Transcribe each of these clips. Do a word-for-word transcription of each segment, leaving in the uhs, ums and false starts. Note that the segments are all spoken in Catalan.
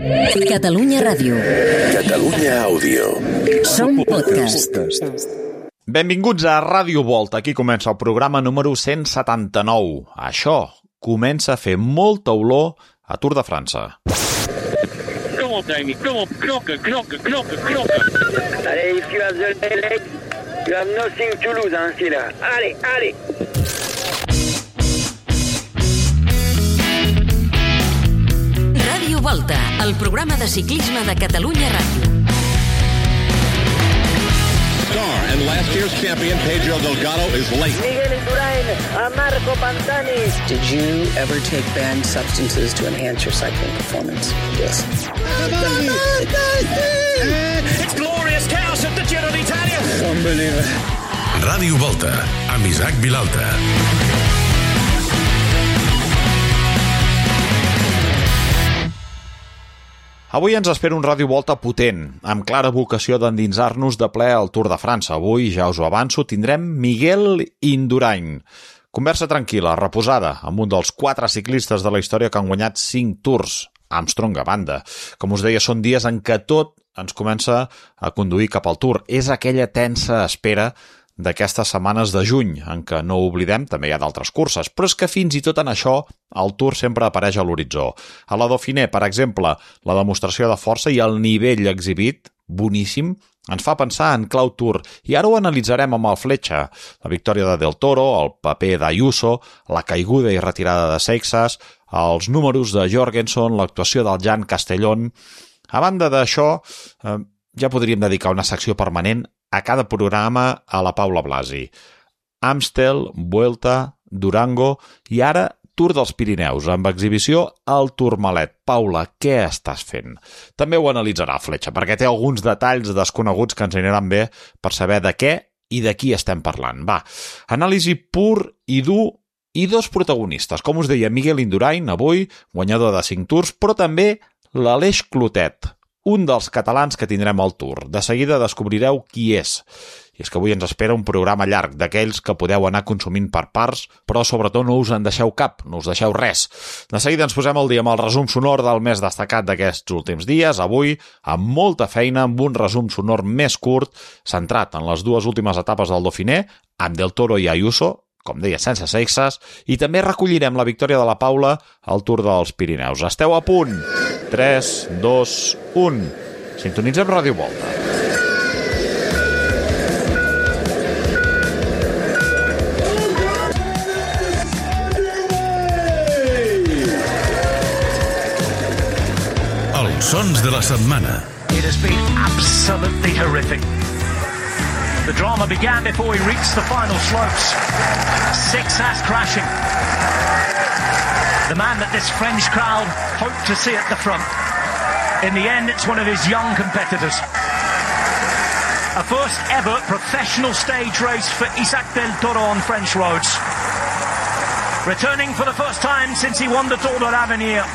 Catalunya Ràdio. Catalunya Àudio. Som podcast. Benvinguts a Ràdio Volta. Aquí comença el programa número cent setanta-nou. Això comença a fer molta olor a Tour de França. Come on, Damien. Come on, knocker, knocker, knocker, knocker. Allez, if you have the leg, you have nothing to lose, hein, c'est là. Allez, allez. Ràdio Volta, el programa de ciclisme de Catalunya Ràdio. Star and last year's champion Pedro Delgado is late. Miguel Indurain, a Marco Pantani. Did you ever take banned substances to enhance your cycling performance? Yes. It's glorious chaos at the Giro d'Italia. Unbelievable. Ràdio Volta, amb Isaac Vilalta. Avui ens espera un Ràdio Volta potent, amb clara vocació d'endinsar-nos de ple al Tour de França. Avui, ja us ho avanço, tindrem Miguel Indurain. Conversa tranquil·la, reposada, amb un dels quatre ciclistes de la història que han guanyat cinc Tours, Armstrong a banda. Com us deia, són dies en què tot ens comença a conduir cap al Tour. És aquella tensa espera d'aquestes setmanes de juny, en què no ho oblidem, també hi ha d'altres curses, però és que fins i tot en això el Tour sempre apareix a l'horitzó. A la Dauphiné, per exemple, la demostració de força i el nivell exhibit, boníssim, ens fa pensar en clau Tour, i ara ho analitzarem amb el Fletxa, la victòria de Del Toro, el paper d'Ayuso, la caiguda i retirada de Seixas, els números de Jorgenson, l'actuació del Jan Castellón. A banda d'això, eh, ja podríem dedicar una secció permanent a cada programa a la Paula Blasi. Amstel, Vuelta, Durango i ara Tour dels Pirineus, amb exhibició al Tourmalet. Paula, què estàs fent? També ho analitzarà Fletxa, perquè té alguns detalls desconeguts que ens aniran bé per saber de què i de qui estem parlant. Va, anàlisi pur i dur i dos protagonistes. Com us deia, Miguel Indurain, avui, guanyador de cinc Tours, però també l'Aleix Clotet, un dels catalans que tindrem al Tour. De seguida descobrireu qui és. I és que avui ens espera un programa llarg, d'aquells que podeu anar consumint per parts, però sobretot no us en deixeu cap, no us deixeu res. De seguida ens posem al dia amb el resum sonor del més destacat d'aquests últims dies, avui amb molta feina, amb un resum sonor més curt, centrat en les dues últimes etapes del Dauphiné, amb Del Toro i Ayuso, com deia, sense sexes, i també recollirem la victòria de la Paula al Tour dels Pirineus. Esteu a punt? tres, dos, un. Sintonitzem Ràdio Volta. Els sons de la setmana. It has been absolutely horrific. The drama began before we reached the final slopes. Seixas crashing. The man that this French crowd hoped to see at the front. In the end, it's one of his young competitors. A first ever professional stage race for Isaac Del Toro on French roads. Returning for the first time since he won the Tour de l'Avenir.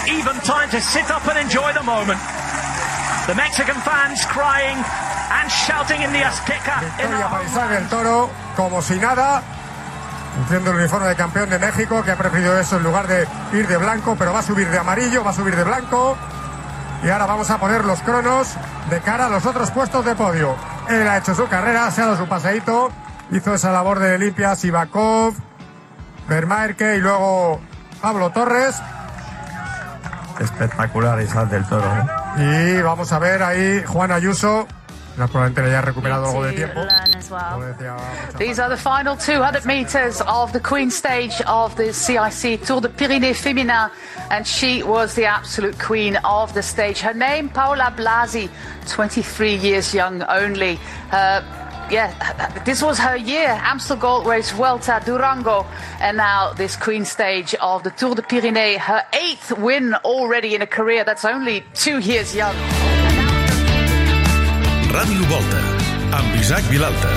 Even time to sit up and enjoy the moment. The Mexican fans crying and shouting in the Azteca. Victoria para Isaac Del Toro, como si nada, luciendo el uniforme de campeón de México, que ha preferido eso en lugar de ir de blanco, pero va a subir de amarillo, va a subir de blanco. Y ahora vamos a poner los cronos de cara a los otros puestos de podio. Él ha hecho su carrera, se ha dado su paseíto, hizo esa labor de limpia Sivakov, Vermaerke y luego Pablo Torres. Espectacular Isaac Del Toro, ¿eh? Y vamos a ver ahí Juan Ayuso. Probablemente le haya recuperado algo de tiempo. These are the final two hundred metres of the Queen stage of the C I C Tour de Pyrénées Féminin, and she was the absolute queen of the stage. Her name, Paula Blasi, twenty-three years young only. Uh, yeah, this was her year. Amstel Gold Race, Vuelta, Durango, and now this Queen stage of the Tour de Pyrénées. Her eighth win already in a career that's only two years young. Ràdio Volta, amb Isaac Vilalta.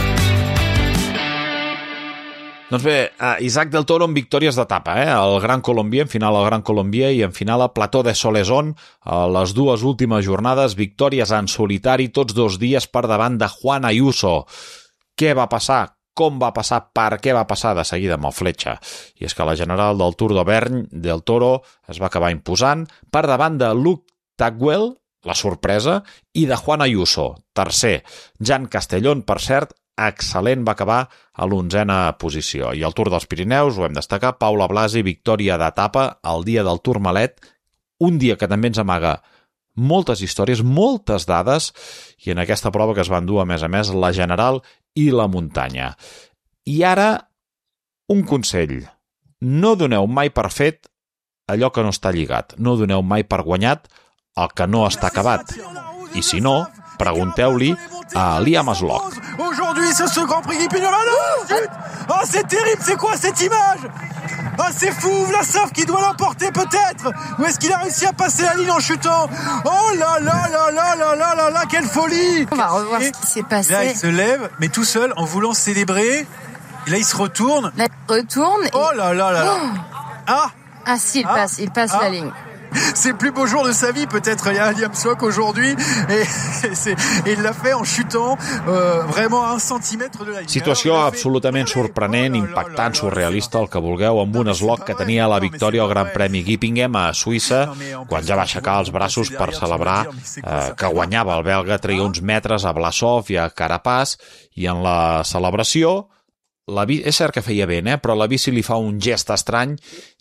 Doncs bé, Isaac Del Toro en victòries d'etapa, eh? El Gran Colombier, en final al Gran Colombier i en final a Plateau de Solaison, a les dues últimes jornades, victòries en solitari, tots dos dies per davant de Juan Ayuso. Què va passar? Com va passar? Per què va passar? De seguida amb el Fletxa. I és que la general del Tour d'Auvergne, Del Toro, es va acabar imposant per davant de Luc Tagwell, la sorpresa, i de Juan Ayuso, tercer. Jan Castellón, per cert, excel·lent, va acabar a l'onzena posició. I al Tour dels Pirineus, ho hem destacat, Paula Blasi, victòria d'etapa el dia del Tourmalet, un dia que també ens amaga moltes històries, moltes dades, i en aquesta prova que es van dur, a més a més, la general i la muntanya. I ara, un consell. No doneu mai per fet allò que no està lligat. No doneu mai per guanyat el que no està acabat. I si no, pregunteu-li a Liam Aslock. Aujourd'hui, c'est ce Grand Prix qui pignon là, zut! Oh, c'est terrible, c'est quoi cette image? Ah, oh, c'est fou, Vlasov qui doit l'emporter peut-être. Ou est-ce qu'il a réussi à passer la ligne en chutant? Oh là là là là là là là là, quelle folie! On va revoir Et ce qui s'est passé. Là, il se lève, mais tout seul, en voulant célébrer. Et là, il se retourne. Là, il retourne. Oh là là là là. Oh ah Ah si, il ah passe, il passe ah la ligne. C'est le plus beau jour de sa vie, peut-être, Liam Aslock aujourd'hui, et, et, et il l'a fait en chutant euh, vraiment a un centimètre de la ligne. Situació absolutament sorprenent, impactant, surrealista, el que vulgueu, amb un Aslock que tenia la victòria al Gran Premi Gippingen a Suïssa, quan ja va aixecar els braços per celebrar eh, que guanyava el belga, treia uns metres a Vlasov i a Carapaz, i en la celebració La bici, és cert que feia vent, eh? Però la bici li fa un gest estrany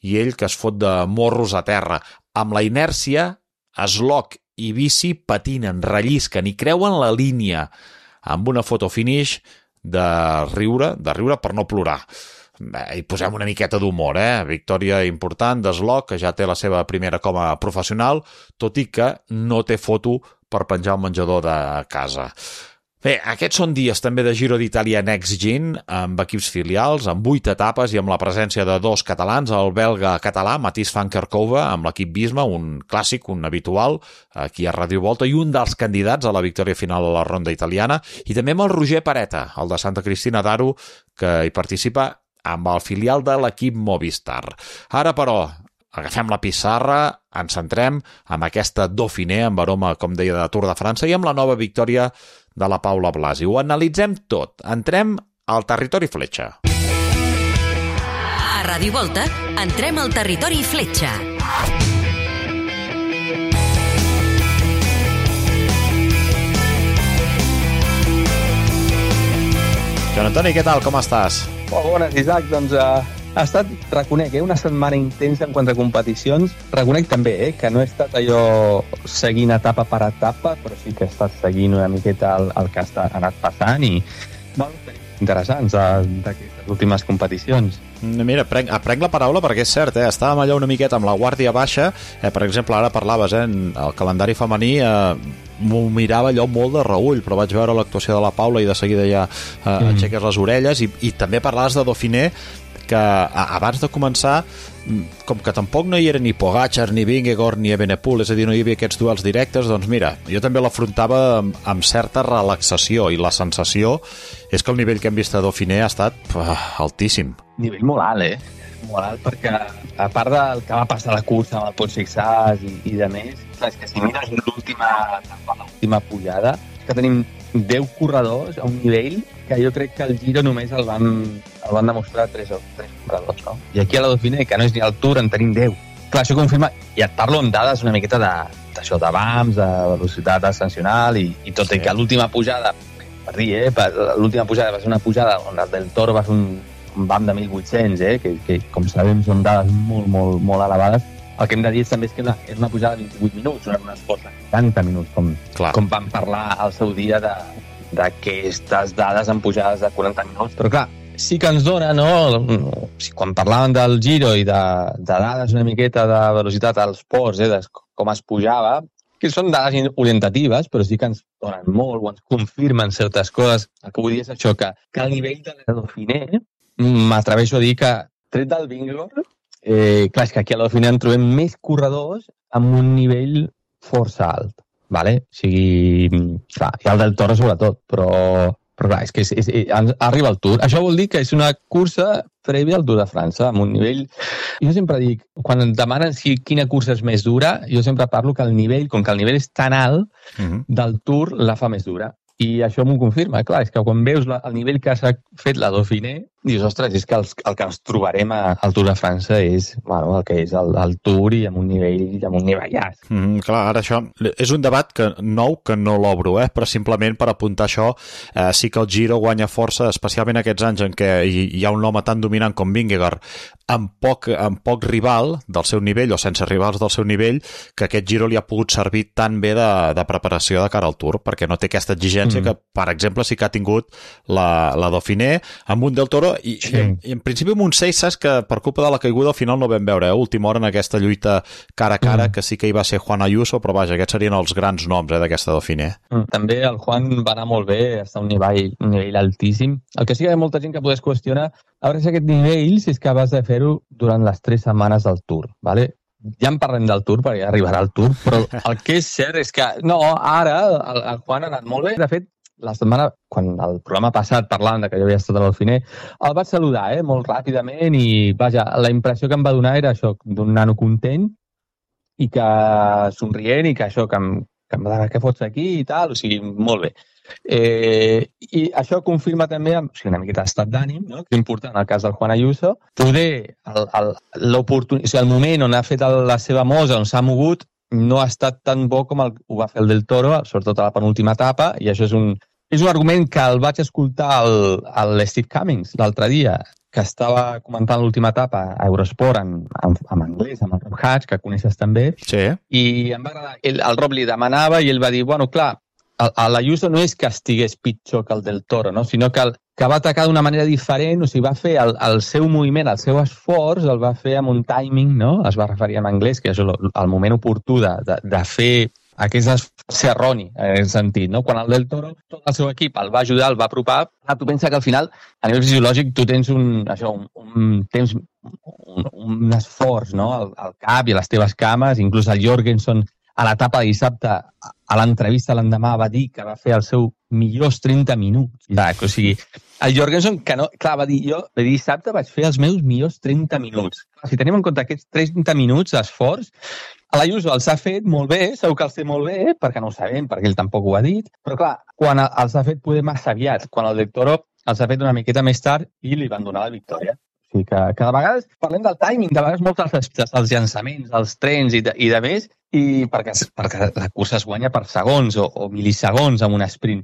i ell que es fot de morros a terra. Amb la inèrcia, Aslock i bici patinen, rellisquen i creuen la línia amb una foto finish de riure, de riure per no plorar. Bé, hi posem una miqueta d'humor, eh? Victòria important d'Aslock, que ja té la seva primera com a professional, tot i que no té foto per penjar al menjador de casa. Bé, aquests són dies també de Giro d'Itàlia Next Gen, amb equips filials, amb vuit etapes i amb la presència de dos catalans, el belga català Mathies van Kerkhove amb l'equip Visma, un clàssic, un habitual, aquí a Ràdio Volta, i un dels candidats a la victòria final a la ronda italiana, i també amb el Roger Pareta, el de Santa Cristina d'Aro, que hi participa amb el filial de l'equip Movistar. Ara, però, agafem la pissarra, ens centrem amb aquesta Dauphiné, amb aroma, com deia, de Tour de França, i amb la nova victòria de la Paula Blasi. Ho analitzem tot. Entrem al territori fletxa. A Ràdio Volta, entrem al territori fletxa. Joan Antoni, què tal? Com estàs? Oh, bones, Isaac. Doncs uh, ha estat, reconec, eh, una setmana intensa en quant a competicions. Reconec també eh, que no he estat allò seguint etapa per etapa, però sí que he estat seguint una miqueta el, el que ha anat passant i bueno, interessants d'aquestes últimes competicions. Mira, prenc, prenc la paraula perquè és cert, eh? Estàvem allà una miqueta amb la guàrdia baixa, eh? Per exemple, ara parlaves, eh? El calendari femení eh, m'ho mirava allò molt de reull, però vaig veure l'actuació de la Paula i de seguida ja eh, mm. aixeques les orelles, i, i també parlaves de Dauphiné, que abans de començar, com que tampoc no hi era ni Pogačar, ni Vingegaard, ni Evenepoel, és a dir, no hi havia aquests duels directes, doncs mira, jo també l'afrontava amb, amb certa relaxació, i la sensació és que el nivell que hem vist a Dauphiné ha estat uh, altíssim. Nivell molt alt, eh? Molt alt, perquè a part del que va passar a la cursa amb el Pol Sixàs i, i de més, és que si mires l'última l'última pujada, és que tenim deu corredors a un nivell que jo crec que el Giro només el van, el van demostrar tres, tres corredors, no? I aquí a la Dauphiné, que no és ni el Tour, en tenim deu. Clar, això confirma, i et parlo amb dades una miqueta d'això, de, de B A Ms, de velocitat ascensional, i, i tot, sí. I que l'última pujada, per dir, eh, l'última pujada va ser una pujada on el del Toro va fer un, un B A M de mil vuit-cents, eh, que, que com sabem són dades molt, molt, molt elevades. El que hem de dir també és que és una pujada de vint-i-vuit minuts, no era un esport de setanta minuts, com, com vam parlar al seu dia de, d'aquestes dades en pujades de quaranta minuts. Però clar, sí que ens dona, no? Quan parlàvem del Giro i de, de dades una miqueta de velocitat als ports, eh, de com es pujava, que són dades orientatives, però sí que ens donen molt o ens confirmen certes coses. El que vull dir és això, que, que el nivell de la Dauphiné, m'atreveixo a dir que, tret del Vingegaard, Eh, clar, és que aquí a la Dauphiné en trobem més corredors amb un nivell força alt, vale? O sigui, clar, i el del Toro sobretot, però, però clar, és que és, és, és, arriba el Tour. Això vol dir que és una cursa prèvia al Tour de França, amb un nivell... Jo sempre dic, quan em demanen si quina cursa és més dura, jo sempre parlo que el nivell, com que el nivell és tan alt, uh-huh. del Tour la fa més dura. I això m'ho confirma, clar, és que quan veus la, el nivell que s'ha fet la Dauphiné, dius, ostres, és que el, el que ens trobarem a, al Tour de França és, bueno, el que és el, el Tour i amb un nivell, amb un nivellàs. Mm, clar, ara això és un debat que nou que no l'obro, eh? Però simplement per apuntar això, eh, sí que el Giro guanya força, especialment aquests anys en què hi, hi ha un home tan dominant com Vingegaard, amb poc, amb poc rival del seu nivell o sense rivals del seu nivell, que aquest Giro li ha pogut servir tan bé de, de preparació de cara al Tour, perquè no té aquesta exigència mm. que, per exemple, sí que ha tingut la, la Dauphiné amb un Del Toro i, sí. i, en, i en principi amb un seis, saps que per culpa de la caiguda al final no vam veure, eh? Última hora en aquesta lluita cara a cara, mm. que sí que hi va ser Juan Ayuso, però vaja, aquests serien els grans noms eh, d'aquesta Dauphiné. Mm. També el Juan va anar molt bé, està a un nivell, un nivell altíssim. El que sí que hi ha molta gent que podés qüestionar, a veure si aquest nivell, si és capaç de fer-ho durant les tres setmanes del Tour, ¿vale? Ja en parlem del Tour, perquè ja arribarà el Tour, però el que és cert és que, no, ara el, el Juan ha anat molt bé. De fet, la setmana, quan el programa passat parlant de que jo havia estat a l'Dauphiné, el vaig saludar, eh, molt ràpidament i, vaja, la impressió que em va donar era això, d'un nano content i que somrient i que això, que em, que em va dir, què fots aquí i tal, o sigui, molt bé. Eh, I això confirma també o sigui, una miqueta d'estat d'ànim, no? Que és important en el cas del Juan Ayuso. Poder, el, el, l'oportun... o sigui, el moment on ha fet el, la seva mosa, on s'ha mogut, no ha estat tan bo com el, ho va fer el Del Toro, sobretot a la penúltima etapa, i això és un, és un argument que el vaig escoltar al, al Steve Cummings l'altre dia, que estava comentant l'última etapa a Eurosport en, en, en anglès, amb el Rob Hatch, que coneixes també, sí. I em va agradar. El, el Rob li demanava i ell va dir, bueno, clar, l'Ayuso no és que estigués pitjor que el Del Toro, no? Sinó que, el, que va atacar d'una manera diferent, o sigui, va fer el, el seu moviment, el seu esforç, el va fer amb un timing, no? Es va referir en anglès, que és el, el moment oportú de, de, de fer aquest esforç erroni, en aquest sentit, no? Quan el Del Toro, tot el seu equip el va ajudar, el va apropar, ah, tu pensa que al final, a nivell fisiològic, tu tens un, això, un, un temps, un, un esforç, no? Al, al cap i a les teves cames, inclús el Jorgensen, a l'etapa de dissabte, a l'entrevista l'endemà va dir que va fer el seu millors trenta minuts. O sigui, el Jorgensen, que no, clar, va dir, jo de dissabte vaig fer els meus millors trenta minuts. Si tenim en compte aquests trenta minuts d'esforç, l'Ayuso els ha fet molt bé, segur que els té molt bé, perquè no ho sabem, perquè ell tampoc ho ha dit, però clar, quan els ha fet poder massa aviat, quan el Del Toro els ha fet una miqueta més tard i li van donar la victòria. O sigui que, que de vegades parlem del timing, de vegades molts dels, dels llançaments, dels trens i de, i de més, i perquè, perquè la cursa es guanya per segons o, o mil·lisegons amb un sprint.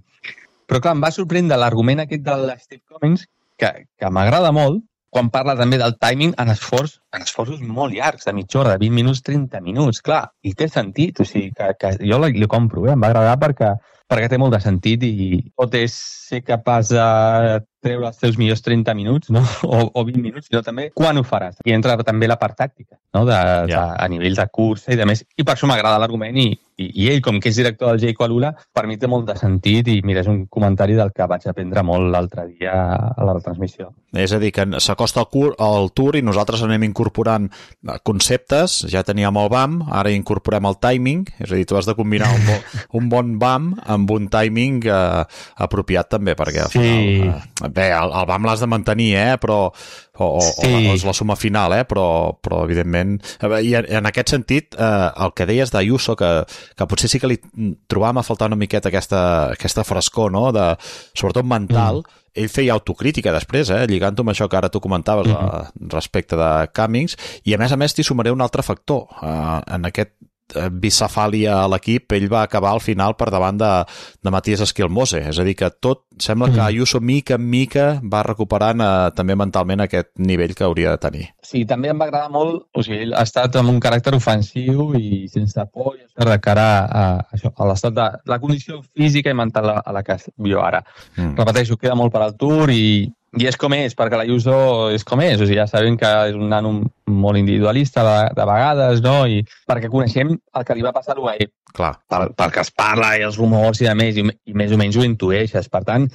Però clar, em va sorprendre l'argument aquest de Steve Cummings, que, que m'agrada molt, quan parla també del timing en, esforç, en esforços molt llargs, de mitja hora, de vint minuts, trenta minuts, clar, i té sentit, o sigui, que, que jo li, li compro, eh? Em va agradar perquè, perquè té molt de sentit i pot és ser capaç de treure els teus millors trenta minuts, no? o, o vint minuts, sinó també quan ho faràs. I entra també la part tàctica, no? de, yeah. de, a nivell de cursa i de més. I per això m'agrada l'argument i, i, i ell, com que és director del Jayco Alula, per mi té molt de sentit i mira, és un comentari del que vaig aprendre molt l'altre dia a la retransmissió. És a dir, que s'acosta el, el Tour i nosaltres anem incorporant conceptes, ja teníem el B A M, ara incorporem el timing, és a dir, tu has de combinar un, bo, un bon B A M amb un timing eh, apropiat també, perquè al final... Sí. Eh, bé, el, el B A M l'has de mantenir, eh, però... O, o, sí. o és la suma final, eh? però, però evidentment... I en, en aquest sentit, eh, el que deies d'Ayuso, que, que potser sí que li trobàvem a faltar una miqueta aquesta, aquesta frescor, no? de, sobretot mental, mm. ell feia autocrítica després, eh? lligant-ho amb això que ara tu comentaves mm. a, respecte de Cummings, i a més a més t'hi sumaré un altre factor. Eh, en aquest bicefàlia a l'equip, ell va acabar al final per davant de, de Matías Esquilmose, és a dir que tot sembla que Ayuso mica en mica va recuperant eh, també mentalment aquest nivell que hauria de tenir. Sí, també em va agradar molt, o sigui, ell ha estat amb un caràcter ofensiu i sense por de cara a, a, això, a l'estat de la condició física i mental a, a la que jo ara. Mm. Repeteixo, queda molt per al Tour i I és com és, perquè l'Ayuso és com és. O sigui, ja sabem que és un nano molt individualista de, de vegades, no? I perquè coneixem el que li va passar a l'U A E. Clar. Pel, pel que es parla i els rumors i de més, i, i més o menys ho intueixes. Per tant,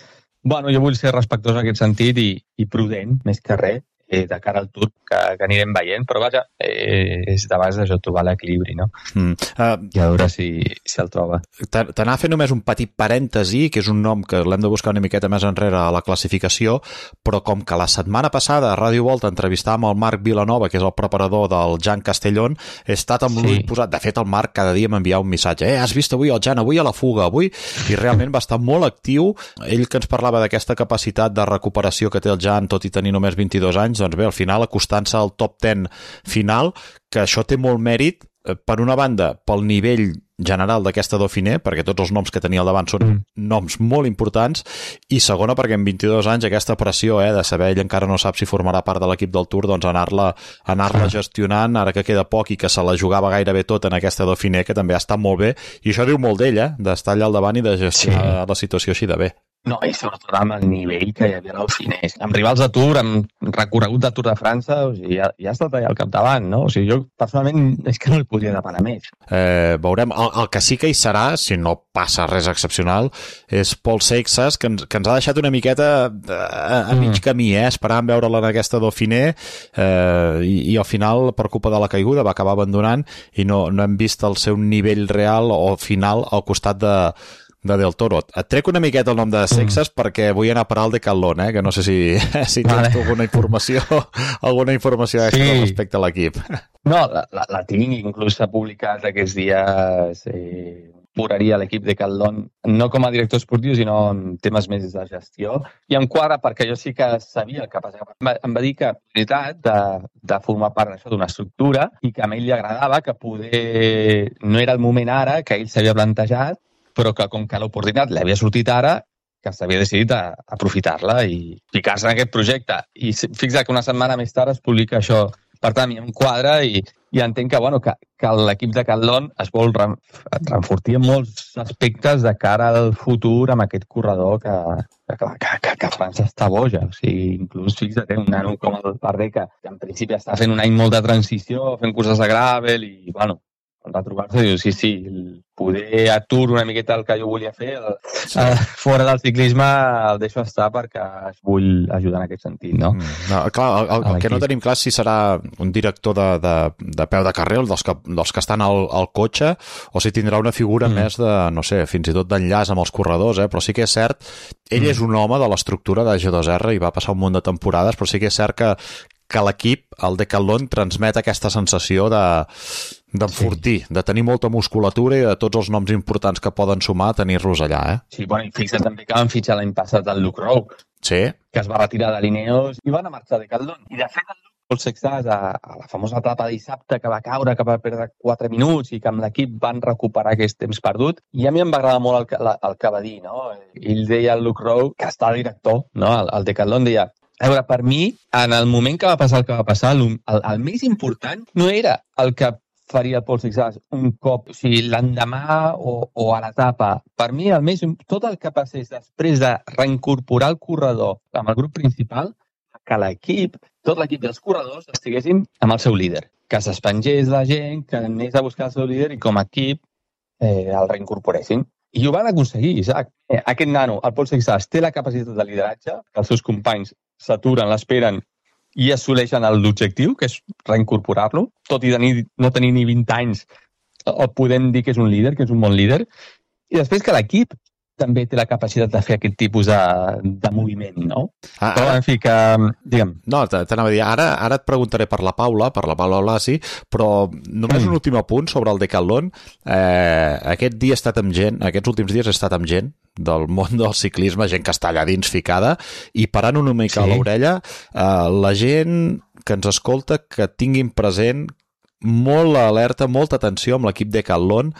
bueno, jo vull ser respectuós en aquest sentit i, i prudent, més que res. eh, de cara al Tour que, que anirem veient, però vaja, eh, és de base això, trobar l'equilibri, no? Mm. Uh, I a veure si, si el troba. T'anava a fer només un petit parèntesi, que és un nom que l'hem de buscar una miqueta més enrere a la classificació, però com que la setmana passada a Ràdio Volta entrevistàvem el Marc Vilanova, que és el preparador del Jan Castellón, he estat amb sí. l'ull posat. De fet, el Marc cada dia m'enviava un missatge. Eh, has vist avui el Jan, avui a la fuga, avui? I realment va estar molt actiu. Ell que ens parlava d'aquesta capacitat de recuperació que té el Jan, tot i tenir només vint-i-dos anys, doncs bé, al final acostant-se al top deu final, que això té molt mèrit, per una banda, pel nivell general d'aquesta Dauphiné, perquè tots els noms que tenia al davant són mm. noms molt importants, i segona, perquè en vint-i-dos anys aquesta pressió eh, de saber ell encara no sap si formarà part de l'equip del Tour, doncs anar-la anar-la gestionant, ara que queda poc i que se la jugava gairebé tot en aquesta Dauphiné, que també ha estat molt bé, i això diu molt d'ell, eh, d'estar allà al davant i de gestionar sí. la situació així de bé. No, i sobretot amb el nivell que hi havia a l'Dauphiné. Amb rivals de Tour, amb recorregut de Tour de França, o sigui, ja, ja ha estat allà al capdavant, no? O sigui, jo personalment és que no li podria demanar més. Eh, veurem, el, el que sí que hi serà, si no passa res excepcional, és Paul Seixas, que ens, que ens ha deixat una miqueta a, a mig camí, eh? Esperant veure'l en aquesta Dauphiné, eh, i, i al final, per culpa de la caiguda, va acabar abandonant i no, no hem vist el seu nivell real o final al costat de de Del Toro. Et trec una miqueta el nom de Seixas mm. perquè vull anar a parar al Decathlon, eh? Que no sé si, si tens vale. alguna informació alguna informació extra sí. respecte a l'equip. No, la, la, la tinc, inclús s'ha publicat aquests dies eh, puraria l'equip Decathlon, no com a director esportiu, sinó en temes més de gestió, i em quadra perquè jo sí que sabia el que passava. Em va dir que la de, de formar part d'això d'una estructura i que a ell li agradava, que poder no era el moment ara, que ell s'havia plantejat, però que com que l'oportunitat l'havia sortit ara, que s'havia decidit a, a aprofitar-la i ficar-se en aquest projecte. I fixa't que una setmana més tard es publica això. Per tant, a mi em quadra i, i entenc que, bueno, que, que l'equip de Decathlon es vol renfortir en molts aspectes de cara al futur amb aquest corredor que, que, que, que, que França està boja. O sigui, inclús fixa't, un nano com el Bardet, que, que en principi està fent un any molt de transició, fent curses de gravel i, bueno, retrobar-se, diu, sí, sí, poder atur una miqueta el que jo volia fer, el, sí. uh, fora del ciclisme el deixo estar perquè es vull ajudar en aquest sentit, no? no clar, el, el, el que no tenim clar és si serà un director de, de, de peu de carrer, dels que, dels que estan al, al cotxe, o si tindrà una figura mm. més de, no sé, fins i tot d'enllaç amb els corredors, eh? Però sí que és cert, ell mm. és un home de l'estructura de G dos R i va passar un munt de temporades, però sí que és cert que que l'equip, el Decathlon, transmet aquesta sensació de d'enfortir, sí. de tenir molta musculatura i de tots els noms importants que poden sumar, tenir-los allà, eh? Sí, bueno, i fixa't també que van fitxar l'any passat el Luke Rowe, sí. que es va retirar de l'Ineos i van a marxar de Decathlon. I de fet, el Luke Sexas, a, a la famosa etapa de dissabte que va caure, que va perdre quatre minuts i que amb l'equip van recuperar aquest temps perdut, i a mi em va agradar molt el, el, el que va dir, no? Ell deia al Luke Rowe, que està director, no? El, el Decathlon deia, a veure, per mi, en el moment que va passar el que va passar, el, el, el més important no era el que faria el Paul Sixas un cop, o sigui, l'endemà o, o a l'etapa. Per mi, el més, tot el que passés després de reincorporar el corredor amb el grup principal, que l'equip, tot l'equip dels corredors estiguessin amb el seu líder. Que s'espengés la gent, que anés a buscar el seu líder i com a equip eh, el reincorporessin. I ho van aconseguir, Isaac. Aquest nano, el Paul Sixas, té la capacitat de lideratge, que els seus companys s'aturen, l'esperen i assoleixen l'objectiu, que és reincorporar-lo, tot i tenir, no tenir ni vint anys, o podem dir que és un líder, que és un bon líder. I després que l'equip també té la capacitat de fer aquest tipus de, de moviment, no? Ah, però, en fi, que... Digue'm. No, t'anava a dir, ara, ara et preguntaré per la Paula, per la Paula Blasi, però només mm. un últim apunt sobre el Decathlon. Eh, aquest dia he estat amb gent, aquests últims dies he estat amb gent del món del ciclisme, gent que està allà dins ficada, i parant una mica sí. a l'orella, eh, la gent que ens escolta que tinguin present molt alerta, molta atenció amb l'equip Decathlon,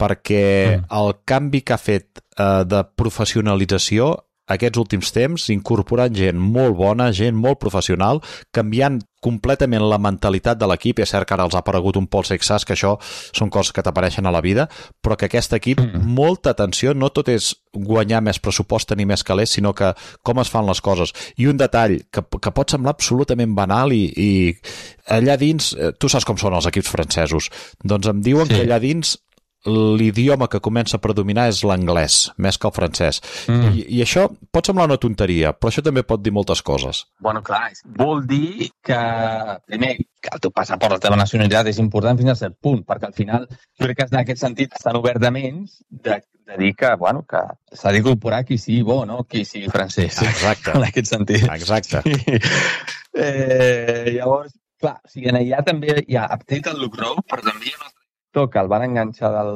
perquè mm. el canvi que ha fet eh, de professionalització aquests últims temps, incorporant gent molt bona, gent molt professional, canviant completament la mentalitat de l'equip. És cert que ara els ha aparegut un Paul Sixas, que això són coses que t'apareixen a la vida, però que aquest equip, mm. molta atenció, no tot és guanyar més pressupost, tenir més calés, sinó que com es fan les coses. I un detall que, que pot semblar absolutament banal i, i allà dins, tu saps com són els equips francesos, doncs em diuen sí. que allà dins l'idioma que comença a predominar és l'anglès, més que el francès. Mm. I, I això pot semblar una tonteria, però això també pot dir moltes coses. Bueno, clar, vol dir que, primer, que el teu passaport, la teva nacionalitat és important fins a cert punt, perquè al final, jo crec que en aquest sentit estan obertament de, de dir que, bueno, que s'ha d'incorporar qui sigui bo, no? Qui sigui francès. Exacte. En aquest sentit. Exacte. Sí. Eh, llavors, clar, o sigui, allà també hi ha update el Luke Rowe, però també hi ha un altre que el van enganxar del...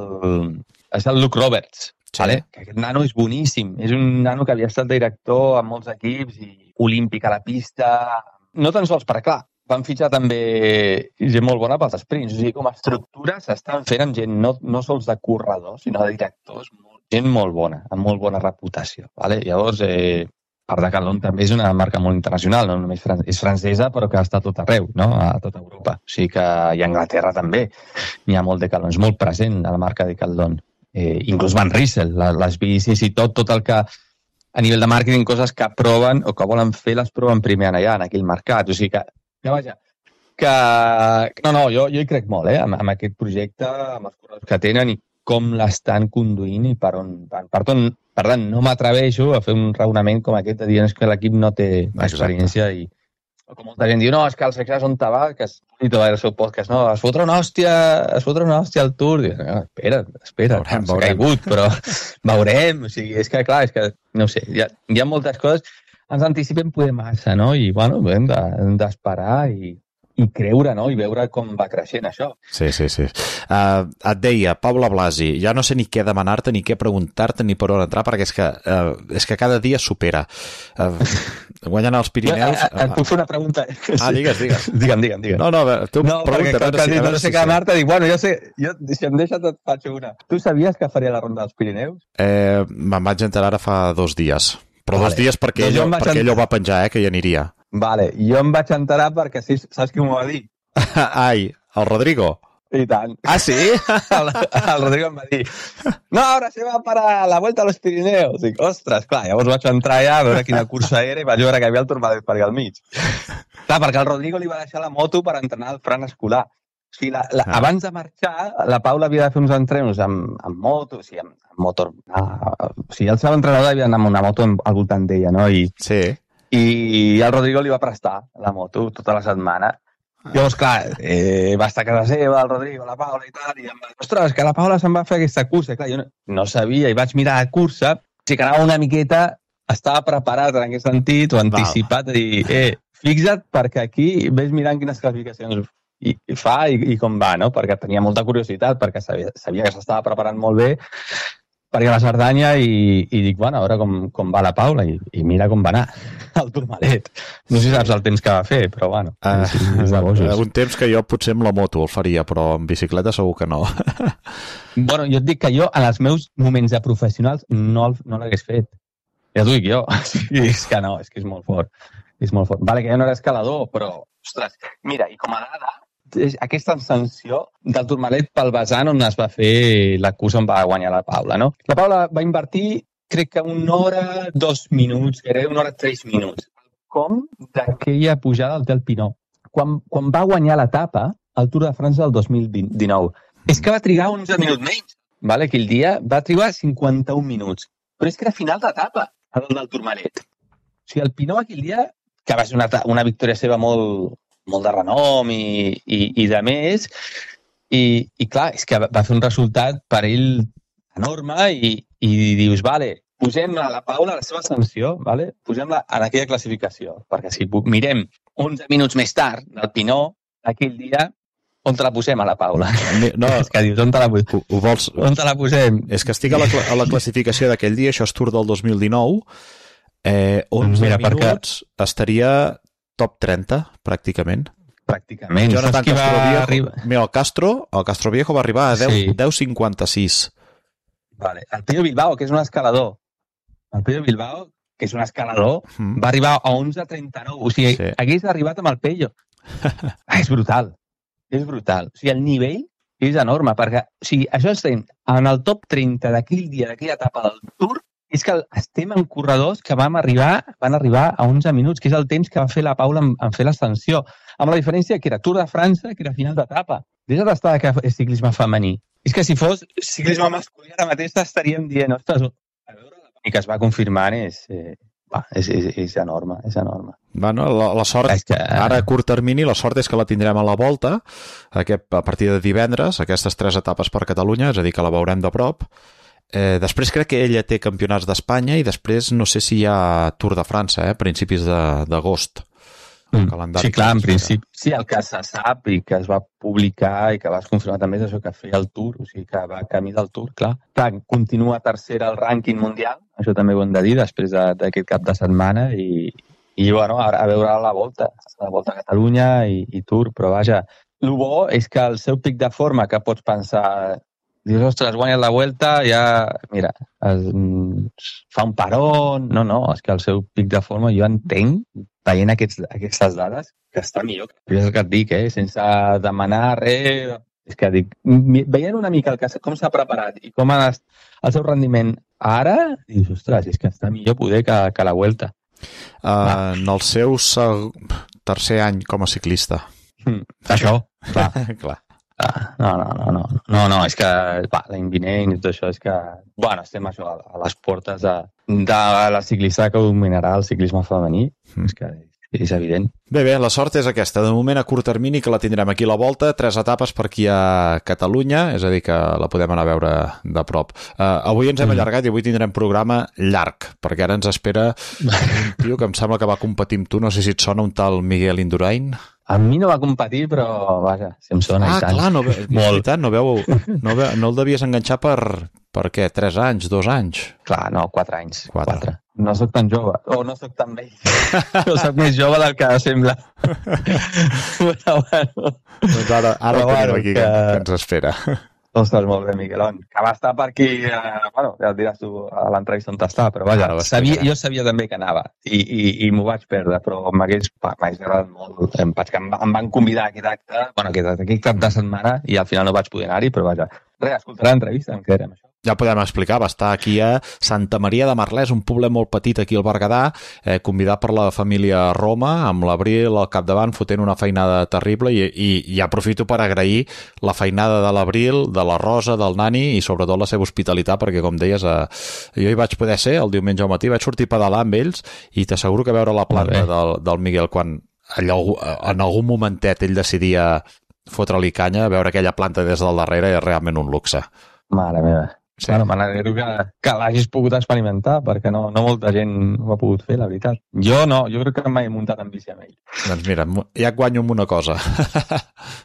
és el Luke Roberts, sí. Vale? Que aquest nano és boníssim. És un nano que havia estat director en molts equips i olímpic a la pista. No tan sols, perquè clar, van fitxar també gent molt bona pels sprints. O sigui, com a estructura s'estan fent amb gent no, no sols de corredors, sinó de directors. Gent molt bona, amb molt bona reputació. Vale? Llavors, eh, per Decathlon també és una marca molt internacional, no només fran- és francesa, però que està a tot arreu, no? A tota Europa. O sigui que i a Anglaterra també n'hi ha molt Decathlon, és molt present a la marca Decathlon. Eh, inclús Van Riesel, la, les bicis i tot, tot el que a nivell de màrqueting, coses que proven o que volen fer, les proven primer allà, en aquell mercat. O sigui que, ja vaja, que... No, no, jo, jo hi crec molt, eh, amb, amb aquest projecte, amb els corredors que tenen i com l'estan conduint i per on van. Per tant, per tant, no m'atreveixo a fer un raonament com aquest de dir que l'equip no té experiència i com molta gent diu, no, és que el Sexas on te va, que es i tot el seu podcast, no, es fotrà una hòstia, es fotrà una hòstia al Tour. Diu, no, espera, espera, veurem, s'ha caigut, però veurem. O sigui, és que, clar, és que, no sé, hi ha, hi ha moltes coses, ens anticipem poder massa, no? I, bueno, hem de, hem d'esperar i i creure, no? I veure com va creixent això. Sí, sí, sí. Uh, et deia, Paula Blasi, ja no sé ni què demanar-te, ni què preguntar-te, ni per on entrar, perquè és que, uh, és que cada dia supera. Uh, guanyant els Pirineus... Et, et puc fer una pregunta? Ah, digues, digues. Digue'm, digue'm, digue'm. No, no, tu no, pregunta. No, perquè no sé què demanar-te, dic, bueno, jo sé, jo, si em deixes et faig una. Tu sabies que faria la ronda dels Pirineus? Eh, me'n vaig enterar ara fa dos dies. Però vale. Dos dies perquè, ell, perquè ell ho va penjar, eh, que hi aniria. Vale, jo em vaig enterar perquè sí, saps qui m'ho va dir? Ai, el Rodrigo? I tant. Ah, sí? el, el Rodrigo em va dir, no, ara se va para la Vuelta a los Pirineos. Dic, ostres, clar, llavors vaig entrar allà a veure quina cursa era i vaig veure que hi havia el Tourmalet per allà al mig. Clar, perquè el Rodrigo li va deixar la moto per entrenar al Fran Escolar. O sigui, la, la, ah. abans de marxar, la Paula havia de fer uns entrenos amb, amb moto, o sigui, amb, amb motor. Ah, o sigui, el seu entrenador havia d'anar amb una moto al voltant d'ella, no? I, sí. I el Rodrigo li va prestar la moto tota la setmana. Ah. Llavors, clar, eh, va estar a casa seva, el Rodrigo, la Paula i tal, i em va dir, ostres, que la Paula se'n va fer aquesta cursa. I clar, jo no, no sabia, i vaig mirar la cursa, o sigui que anava una miqueta, estava preparat en aquest sentit, o anticipat, a dir, eh, fixa't, perquè aquí ves mirant quines classificacions i, i fa i, i com va, no? Perquè tenia molta curiositat, perquè sabia, sabia que s'estava preparant molt bé per ir a la Cerdanya i, i dic, bueno, a veure com, com va la Paula i, i mira com va anar el Tourmalet. No sé si saps el temps que va fer, però bueno. Uh, és, és de bojos. Un temps que jo potser amb la moto el faria, però amb bicicleta segur que no. Bueno, jo et dic que jo en els meus moments de professionals no, no l'hagués fet. Ja t'ho dic jo. És que no, és que és molt fort. És molt fort. Vale, que jo no era escalador, però, ostres, mira, i com a dada, aquesta ascensió del Tourmalet pel vessant on es va fer la cursa on va guanyar la Paula, no? La Paula va invertir, crec que una hora, dos minuts, que era una hora, tres minuts. Com d'aquella pujada al Tel Pinó. Quan, quan va guanyar l'etapa, al Tour de França del dos mil dinou. És que va trigar onze minuts menys. Vale? Aquell dia va trigar cinquanta-un minuts. Però és que era final d'etapa, el del Tourmalet. O sigui, el Pinó aquell dia, que va ser una, una victòria seva molt... molt de renom i, i, i de més, i, i clar, és que va fer un resultat per ell enorme i, i dius, vale, posem a la Paula la seva sanció, vale? Posem-la en aquella classificació, perquè si mirem onze minuts més tard del Pinó, aquell dia, on te la posem a la Paula? No, és que dius, on te la, ho, ho vols... on te la posem? És que estic a la, a la classificació d'aquell dia, això és Tour del dos mil dinou, eh, onze Mira, minuts perquè... estaria... top trenta, pràcticament. Pràcticament. Jonathan Castro Viejo, arriba... mira, el Castro, el Castro Viejo va arribar a deu, sí. deu cinquanta-sis. Vale. El Pello Bilbao, que és un escalador. El Pello Bilbao, que és un escalador, mm. va arribar a onze trenta-nou. O sigui, sí. hagués arribat amb el Pello. Ah, és brutal. És brutal. O sigui, el nivell és enorme, perquè o sigui, això estem en el top trenta d'aquell dia, d'aquella etapa del Tour, és que estem en corredors que vam arribar, van arribar a onze minuts, que és el temps que va fer la Paula en, en fer l'ascensió. Amb la diferència que era Tour de França, que era final d'etapa. deixa d'estar que és ciclisme femení. És que si fos ciclisme masculí ara mateix estaríem dient, ostres, a veure la que es va confirmant és, eh, va, és, és, és enorme, és enorme. Bueno, la, la sort, és que... ara a curt termini, la sort és que la tindrem a la volta, aquest, a partir de divendres, aquestes tres etapes per Catalunya, és a dir, que la veurem de prop. Eh, després crec que ella té campionats d'Espanya i després no sé si hi ha Tour de França, eh, a principis d'agost. Mm. Sí, clar, en principi, sí, el que se sap i que es va publicar i que vas confirmar també és això, que feia el Tour, o sigui que va camí del Tour, clar. Clar, continua tercera al rànquing mundial, això també ho hem de dir, després d'aquest cap de setmana i, i bueno, a, a veure la volta, la volta a Catalunya i, i Tour, però vaja, el bo és que el seu pic de forma que pots pensar, dius, ostres, guanyes la Vuelta, ja, mira, es, fa un parón, no, no, és que el seu pic de forma jo entenc, veient aquests, aquestes dades, que està millor. És el que et dic, eh? Sense demanar res. És que dic, veient una mica el que, com s'ha preparat i com ha estat el seu rendiment ara, dius, ostres, és que està millor poder que, que la Vuelta. Uh, en el seu seg... tercer any com a ciclista. Mm, això, clar. clar. Ah, no, no, no, no, no, no, és que va, l'any vinent i tot això és que, bueno, estem això, a, a les portes de, de la ciclista que dominarà el ciclisme femení, mm. és que és evident. Bé, bé, la sort és aquesta. De moment, a curt termini, que la tindrem aquí a la volta, tres etapes per aquí a Catalunya, és a dir, que la podem anar a veure de prop. Uh, avui ens hem mm. allargat i avui tindrem programa llarg, perquè ara ens espera un tio que em sembla que va competir amb tu, no sé si et sona, un tal Miguel Indurain. A mi no va competir, però, vaja, si em sona ah, i tant. Ah, clar, no, veritat, no, veu, no, veu, no el devies enganxar per, per què? Tres anys, dos anys? Clar, no, quatre anys. Quatre. quatre. No soc tan jove, o no soc tan vell. No soc més jove del que sembla. Però, bueno... Doncs ara, ara però, tenim bueno, aquí que... que ens espera. Ostres, molt bé, Miquelon. Que va estar per aquí, eh, bueno, ja et diràs tu a l'entrevista on t'està, però vaja, sabia, jo sabia també que anava i, i, i m'ho vaig perdre, però m'hagués agradat molt. Em, vaig, em, em van convidar a aquest acte, bueno, aquest, aquest cap de setmana i al final no vaig poder anar-hi, però vaja, res, escoltarà l'entrevista, em quedarem això. Ja podem explicar, va estar aquí a Santa Maria de Merlès, un poblet molt petit aquí al Berguedà, eh, convidat per la família Roma, amb l'Abril al capdavant, fotent una feinada terrible i, i, i aprofito per agrair la feinada de l'Abril, de la Rosa, del Nani i sobretot la seva hospitalitat, perquè com deies, eh, jo hi vaig poder ser el diumenge al matí, vaig sortir a pedalar amb ells i t'asseguro que veure la planta del, del Miguel quan allò, en algun momentet ell decidia fotre-li canya, veure aquella planta des del darrere és realment un luxe. Mare meva. Sí. Bueno, m'alegro que, que l'hagis pogut experimentar, perquè no, no molta gent ho ha pogut fer, la veritat. Jo no, jo crec que mai he muntat en bici amb ell. Doncs mira, ja et guanyo amb una cosa.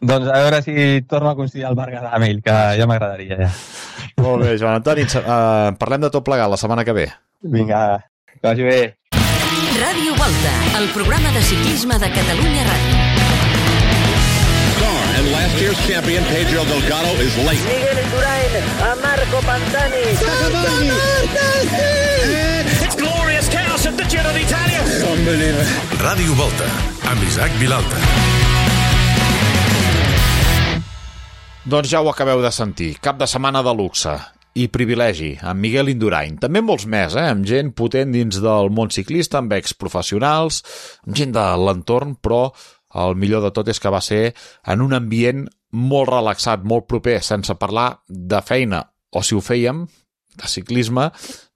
Doncs a veure si torno a coincidir al Berguedà amb ell, que ja m'agradaria, ja. Molt bé, Joan Antoni, uh, parlem de tot plegat la setmana que ve. Vinga, que vagi bé. Ràdio Volta, el programa de ciclisme de Catalunya Ràdio. And last year's champion, Pedro Delgado, is late. Miguel Indurain a Marco Pantani. It's glorious chaos at the Giro d'Italia. Unbelievable. Ràdio Volta, amb Isaac Vilalta. Doncs ja ho acabeu de sentir. Cap de setmana de luxe i privilegi, amb Miguel Indurain. També amb molts més, eh? Amb gent potent dins del món ciclista, amb exprofessionals, amb gent de l'entorn, però el millor de tot és que va ser en un ambient molt relaxat, molt proper, sense parlar de feina, o si ho fèiem, de ciclisme,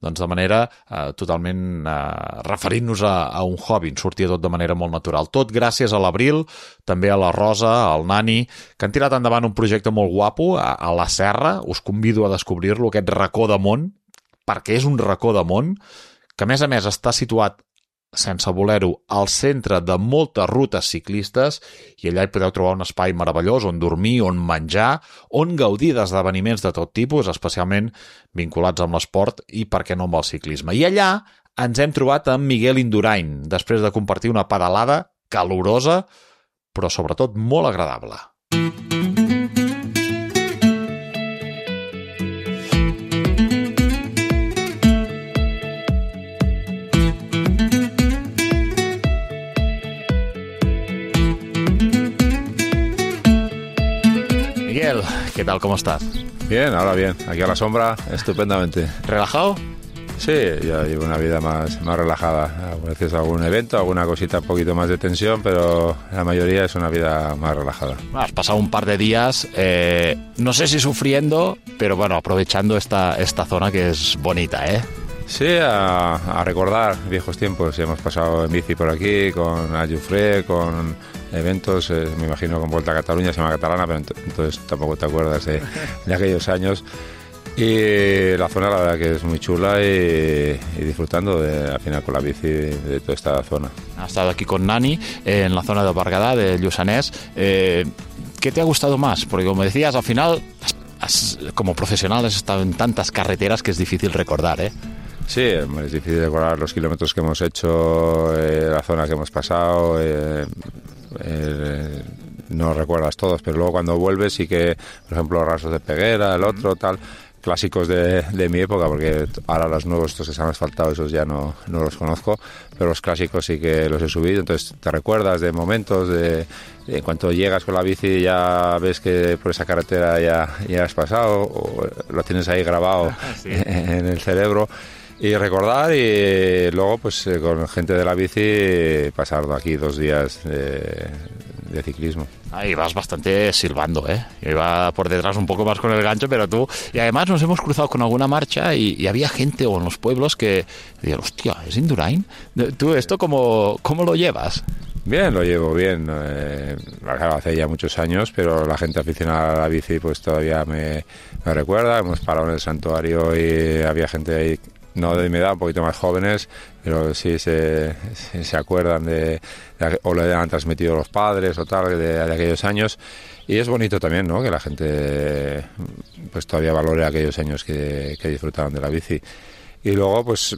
doncs de manera eh, totalment eh, referint-nos a, a un hobby, ens sortia tot de manera molt natural. Tot gràcies a l'Abril, també a la Rosa, al Nani, que han tirat endavant un projecte molt guapo a, a la Serra, us convido a descobrir-lo, aquest racó de món, perquè és un racó de món, que a més a més està situat sense voler-ho, al centre de moltes rutes ciclistes i allà hi podeu trobar un espai meravellós on dormir, on menjar, on gaudir d'esdeveniments de tot tipus, especialment vinculats amb l'esport i, per què no, amb el ciclisme. I allà ens hem trobat amb Miguel Indurain, després de compartir una pedalada calorosa, però sobretot molt agradable. ¿Qué tal? ¿Cómo estás? Bien, ahora bien. Aquí a la sombra, estupendamente. ¿Relajado? Sí, yo llevo una vida más, más relajada. A veces algún evento, alguna cosita un poquito más de tensión, pero la mayoría es una vida más relajada. Has pasado un par de días, eh, no sé si sufriendo, pero bueno, aprovechando esta, esta zona que es bonita, ¿eh? Sí, a, a recordar viejos tiempos. Hemos pasado en bici por aquí, con Ayufré, con eventos, eh, me imagino con Vuelta a Cataluña, se llama Catalana, pero ent- entonces tampoco te acuerdas de, de aquellos años. Y la zona la verdad que es muy chula y, y disfrutando de, al final con la bici de, de toda esta zona. Has estado aquí con Nani eh, en la zona de Berguedà, de Lluçanès. Eh, ¿Qué te ha gustado más? Porque como decías, al final, has, como profesional has estado en tantas carreteras que es difícil recordar, ¿eh? Sí, es difícil recordar los kilómetros que hemos hecho, eh, la zona que hemos pasado. Eh, eh, no recuerdas todos, pero luego cuando vuelves sí que, por ejemplo, Rasos de Peguera, el otro, tal, clásicos de, de mi época, porque ahora los nuevos, estos que se han asfaltado, esos ya no, no los conozco, pero los clásicos sí que los he subido, entonces te recuerdas de momentos, de, de en cuanto llegas con la bici ya ves que por esa carretera ya, ya has pasado, o lo tienes ahí grabado sí. en el cerebro. Y recordar y luego pues eh, con gente de la bici pasar aquí dos días de, de ciclismo. Ahí vas bastante silbando, ¿eh? Iba por detrás un poco más con el gancho, pero tú... Y además nos hemos cruzado con alguna marcha y, y había gente o en los pueblos que decían, hostia, ¿es Indurain? ¿Tú esto cómo, cómo lo llevas? Bien, lo llevo bien. Eh, hace ya muchos años, pero la gente aficionada a la bici pues todavía me, me recuerda. Hemos parado en el santuario y había gente ahí, no de mi edad, un poquito más jóvenes, pero sí se, se, se acuerdan de, de, o le han transmitido los padres o tal, de, de aquellos años. Y es bonito también, ¿no?, que la gente pues todavía valore aquellos años que, que disfrutaron de la bici. Y luego, pues,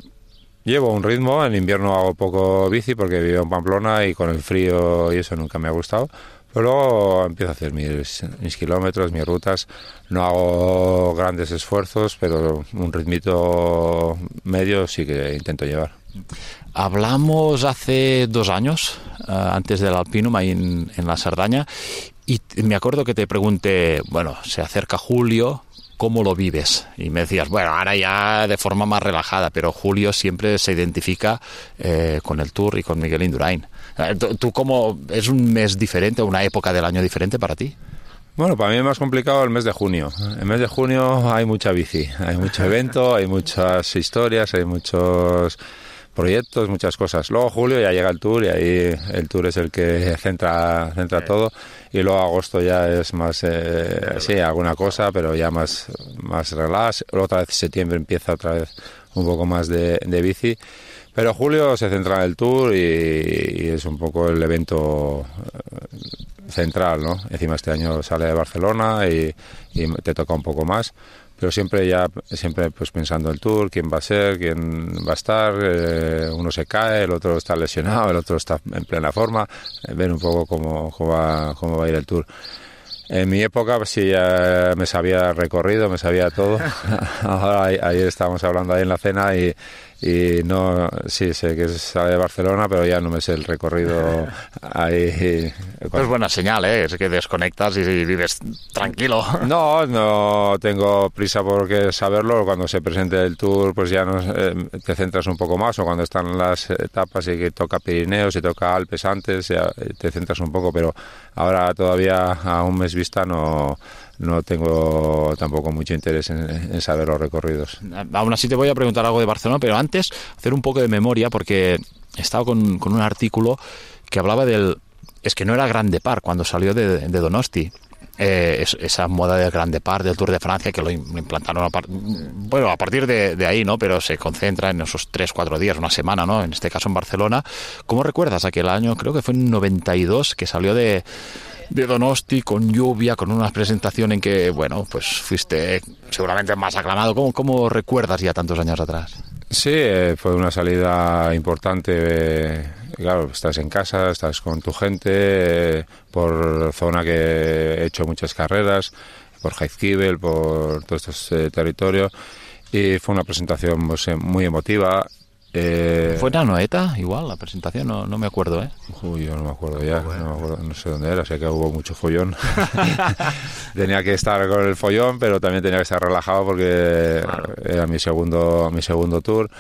llevo un ritmo. En invierno hago poco bici porque vivo en Pamplona y con el frío y eso nunca me ha gustado. Pero luego empiezo a hacer mis, mis kilómetros, mis rutas. No hago grandes esfuerzos, pero un ritmito medio sí que intento llevar. Hablamos hace dos años, uh, antes del Alpinum, ahí en, en la Cerdaña, y me acuerdo que te pregunté, bueno, se acerca julio, ¿cómo lo vives? Y me decías, bueno, ahora ya de forma más relajada, pero julio siempre se identifica eh, con el Tour y con Miguel Indurain. ¿Tú cómo, es un mes diferente, una época del año diferente para ti? Bueno, para mí es más complicado el mes de junio. El mes de junio hay mucha bici, hay mucho evento, hay muchas historias, hay muchos proyectos, muchas cosas. Luego julio ya llega el Tour y ahí el Tour es el que centra, centra todo. Y luego agosto ya es más, eh, sí, alguna cosa, pero ya más, más relax. Luego otra vez septiembre empieza otra vez un poco más de, de bici. Pero julio se centra en el Tour y, y es un poco el evento central, ¿no? Encima este año sale de Barcelona y, y te toca un poco más, pero siempre ya siempre pues pensando el Tour, quién va a ser, quién va a estar, eh, uno se cae, el otro está lesionado, el otro está en plena forma, eh, ver un poco cómo, cómo, va, cómo va a ir el Tour. En mi época pues, sí ya me sabía recorrido, me sabía todo. Ahora ayer estábamos hablando ahí en la cena y y no, sí, sé que sale de Barcelona, pero ya no me sé el recorrido ahí. Es buena señal, ¿eh? Es que desconectas y vives tranquilo. No, no tengo prisa por saberlo. Cuando se presente el Tour, pues ya no, eh, te centras un poco más, o cuando están las etapas y que toca Pirineos y toca Alpes antes, ya te centras un poco, pero ahora todavía a un mes vista no... no tengo tampoco mucho interés en, en saber los recorridos. Aún así te voy a preguntar algo de Barcelona, pero antes hacer un poco de memoria, porque he estado con, con un artículo que hablaba del... Es que no era Grand Depart cuando salió de, de Donosti. Eh, es, esa moda del Grand Depart, del Tour de Francia, que lo implantaron a, par, bueno, a partir de, de ahí, ¿no? Pero se concentra en esos tres, cuatro días, una semana, ¿no? En este caso en Barcelona. ¿Cómo recuerdas aquel año? Creo que fue en noventa y dos que salió de... de Donosti, con lluvia, con una presentación en que, bueno, pues fuiste seguramente más aclamado. ¿Cómo, cómo recuerdas ya tantos años atrás? Sí, eh, fue una salida importante. Eh, claro, estás en casa, estás con tu gente, eh, por zona que he hecho muchas carreras, por Jaizkibel, por todos estos eh, territorios, y fue una presentación pues, muy emotiva. Eh, ¿Fue en Anoeta igual la presentación? No, no me acuerdo, ¿eh? Uy, yo no me acuerdo ya, no, me acuerdo, no sé dónde era, sé que hubo mucho follón. Tenía que estar con el follón, pero también tenía que estar relajado porque claro, era mi segundo, mi segundo tour.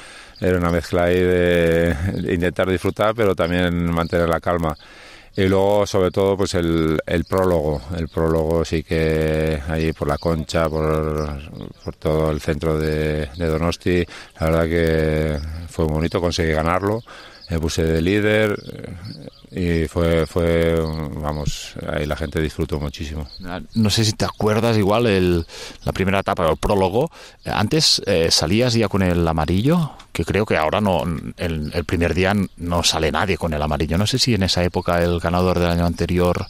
Era una mezcla ahí de, de intentar disfrutar, pero también mantener la calma. Y luego, sobre todo, pues el, el prólogo. El prólogo sí que ahí por la Concha, por, por todo el centro de, de Donosti, la verdad que fue bonito, conseguí ganarlo. Me puse de líder y fue, fue, vamos, ahí la gente disfrutó muchísimo. No sé si te acuerdas igual el, la primera etapa, el prólogo. Antes eh, salías ya con el amarillo, que creo que ahora no, el, el primer día no sale nadie con el amarillo. No sé si en esa época el ganador del año anterior...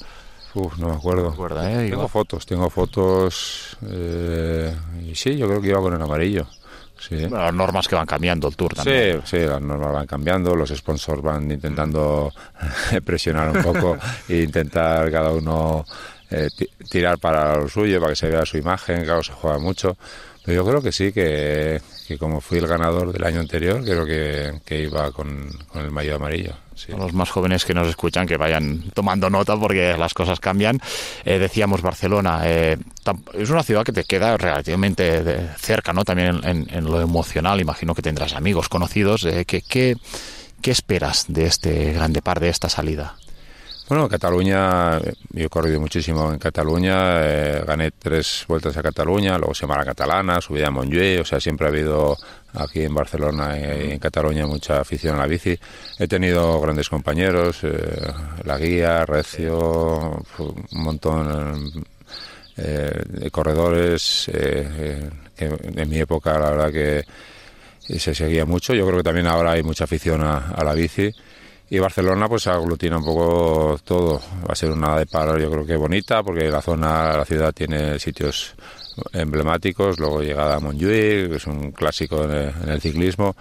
Uf, no me acuerdo. No me acuerdo, ¿eh? Tengo igual. fotos, tengo fotos eh, y sí, yo creo que iba con el amarillo. Sí. Bueno, las normas que van cambiando el Tour también. Sí, sí, las normas van cambiando, los sponsors van intentando presionar un poco e intentar cada uno eh, tirar para lo suyo, para que se vea su imagen, claro, se juega mucho. Pero yo creo que sí, que, que como fui el ganador del año anterior, creo que, que iba con, con el maillot amarillo. Sí. A los más jóvenes que nos escuchan que vayan tomando nota porque las cosas cambian. Eh, decíamos Barcelona, eh, es una ciudad que te queda relativamente de cerca, ¿no? También en, en, en lo emocional, imagino que tendrás amigos conocidos. Eh, ¿qué, qué, ¿Qué esperas de este grande par, de esta salida? Bueno, Cataluña, yo he corrido muchísimo en Cataluña, eh, gané tres vueltas a Cataluña, luego Semana Catalana, subí a Montjuïc, o sea, siempre ha habido aquí en Barcelona y en Cataluña mucha afición a la bici. He tenido grandes compañeros, eh, La Guía, Recio, un montón eh, de corredores, eh, eh, que en mi época la verdad que se seguía mucho. Yo creo que también ahora hay mucha afición a, a la bici. Y Barcelona pues aglutina un poco todo. Va a ser una de paro, yo creo que bonita, porque la zona, la ciudad tiene sitios emblemáticos, luego llegada a Montjuïc, que es un clásico en el, en el ciclismo.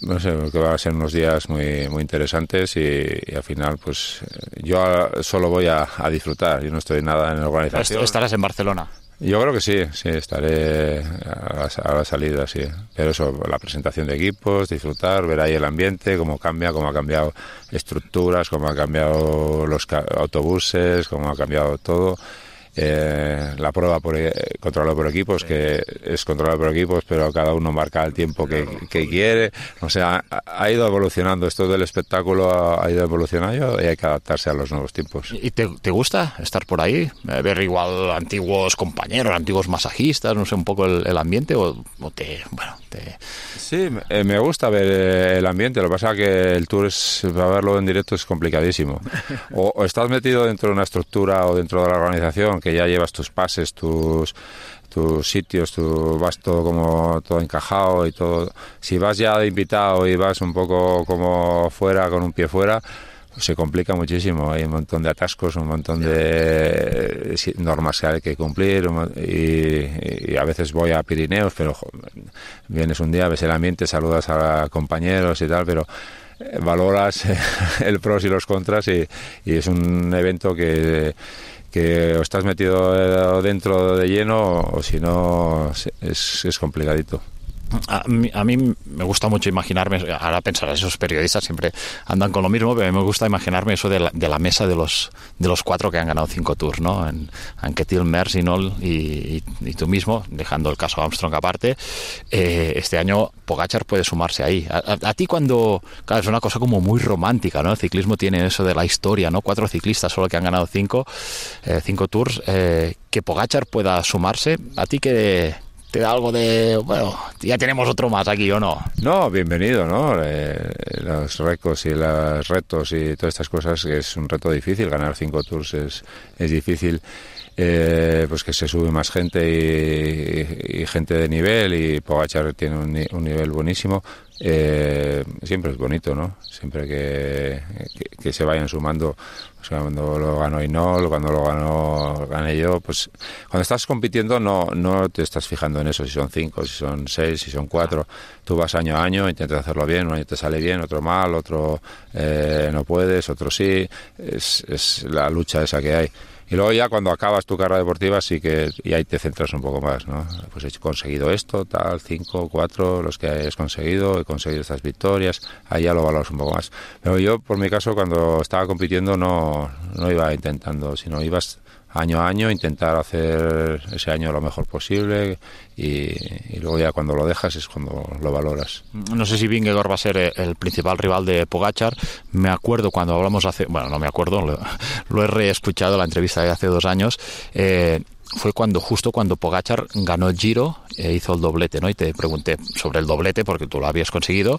No sé, que van a ser unos días muy muy interesantes y, y al final pues yo solo voy a, a disfrutar, yo no estoy nada en la organización. ¿Estarás en Barcelona? Yo creo que sí, sí, estaré a la, a la salida, sí. Pero eso, la presentación de equipos, disfrutar, ver ahí el ambiente, cómo cambia, cómo ha cambiado estructuras, cómo ha cambiado los autobuses, cómo ha cambiado todo. Eh, la prueba por, eh, controlada por equipos, sí, que es controlada por equipos, pero cada uno marca el tiempo que, que quiere. O sea, ha, ha ido evolucionando. Esto del espectáculo ha, ha ido evolucionando y hay que adaptarse a los nuevos tiempos. ¿Y te, te gusta estar por ahí? Ver igual antiguos compañeros, antiguos masajistas, no sé, un poco el, el ambiente o, o te... bueno, te... Sí, me, me gusta ver el ambiente. Lo que pasa es que el Tour, es, para verlo en directo es complicadísimo. O, o estás metido dentro de una estructura o dentro de la organización que ya llevas tus pases, tus tus sitios, tu vas todo como todo encajado y todo. Si vas ya de invitado y vas un poco como fuera, con un pie fuera, se complica muchísimo. Hay un montón de atascos, un montón de normas que hay que cumplir y, y a veces voy a Pirineos, pero joder, vienes un día, ves el ambiente, saludas a compañeros y tal, pero valoras el pros y los contras y, y es un evento que que o estás metido dentro de lleno o si no es, es complicadito. A mí, a mí me gusta mucho imaginarme, ahora pensar, esos periodistas siempre andan con lo mismo, pero a mí me gusta imaginarme eso de la, de la mesa de los de los cuatro que han ganado cinco Tours, ¿no? En Anquetil, Merckx, Hinault y, y, y tú mismo, dejando el caso Armstrong aparte. Eh, este año Pogačar puede sumarse ahí. A, a, a ti cuando, claro, es una cosa como muy romántica, ¿no? El ciclismo tiene eso de la historia, ¿no? Cuatro ciclistas solo que han ganado cinco, eh, cinco Tours, eh, que Pogačar pueda sumarse. ¿A ti qué te da algo de, bueno, ya tenemos otro más aquí o no? No, bienvenido, ¿no? Eh, los récords y los retos y todas estas cosas, que es un reto difícil, ganar cinco Tours es, es difícil, eh, pues que se sube más gente y, y gente de nivel, y Pogačar tiene un, un nivel buenísimo. Eh, siempre es bonito, ¿no? Siempre que, que, que se vayan sumando. O sea, cuando lo ganó Hinault, cuando lo ganó gané yo, pues cuando estás compitiendo no no te estás fijando en eso, si son cinco, si son seis, si son cuatro. Tú vas año a año, intentas hacerlo bien, un año te sale bien, otro mal, otro eh, no puedes, otro sí. Es, es la lucha esa que hay. Y luego ya cuando acabas tu carrera deportiva sí que y ahí te centras un poco más, ¿no? Pues he conseguido esto, tal, cinco, cuatro, los que hayas conseguido, he conseguido estas victorias, ahí ya lo valoras un poco más. Pero yo, por mi caso, cuando estaba compitiendo no, no iba intentando, sino ibas año a año, intentar hacer ese año lo mejor posible y, y luego ya cuando lo dejas es cuando lo valoras. No sé si Vingegaard va a ser el principal rival de Pogačar. Me acuerdo cuando hablamos hace... Bueno, no me acuerdo, lo, lo he reescuchado, la entrevista de hace dos años. Eh, fue cuando justo cuando Pogačar ganó el Giro e hizo el doblete, ¿no? Y te pregunté sobre el doblete porque tú lo habías conseguido.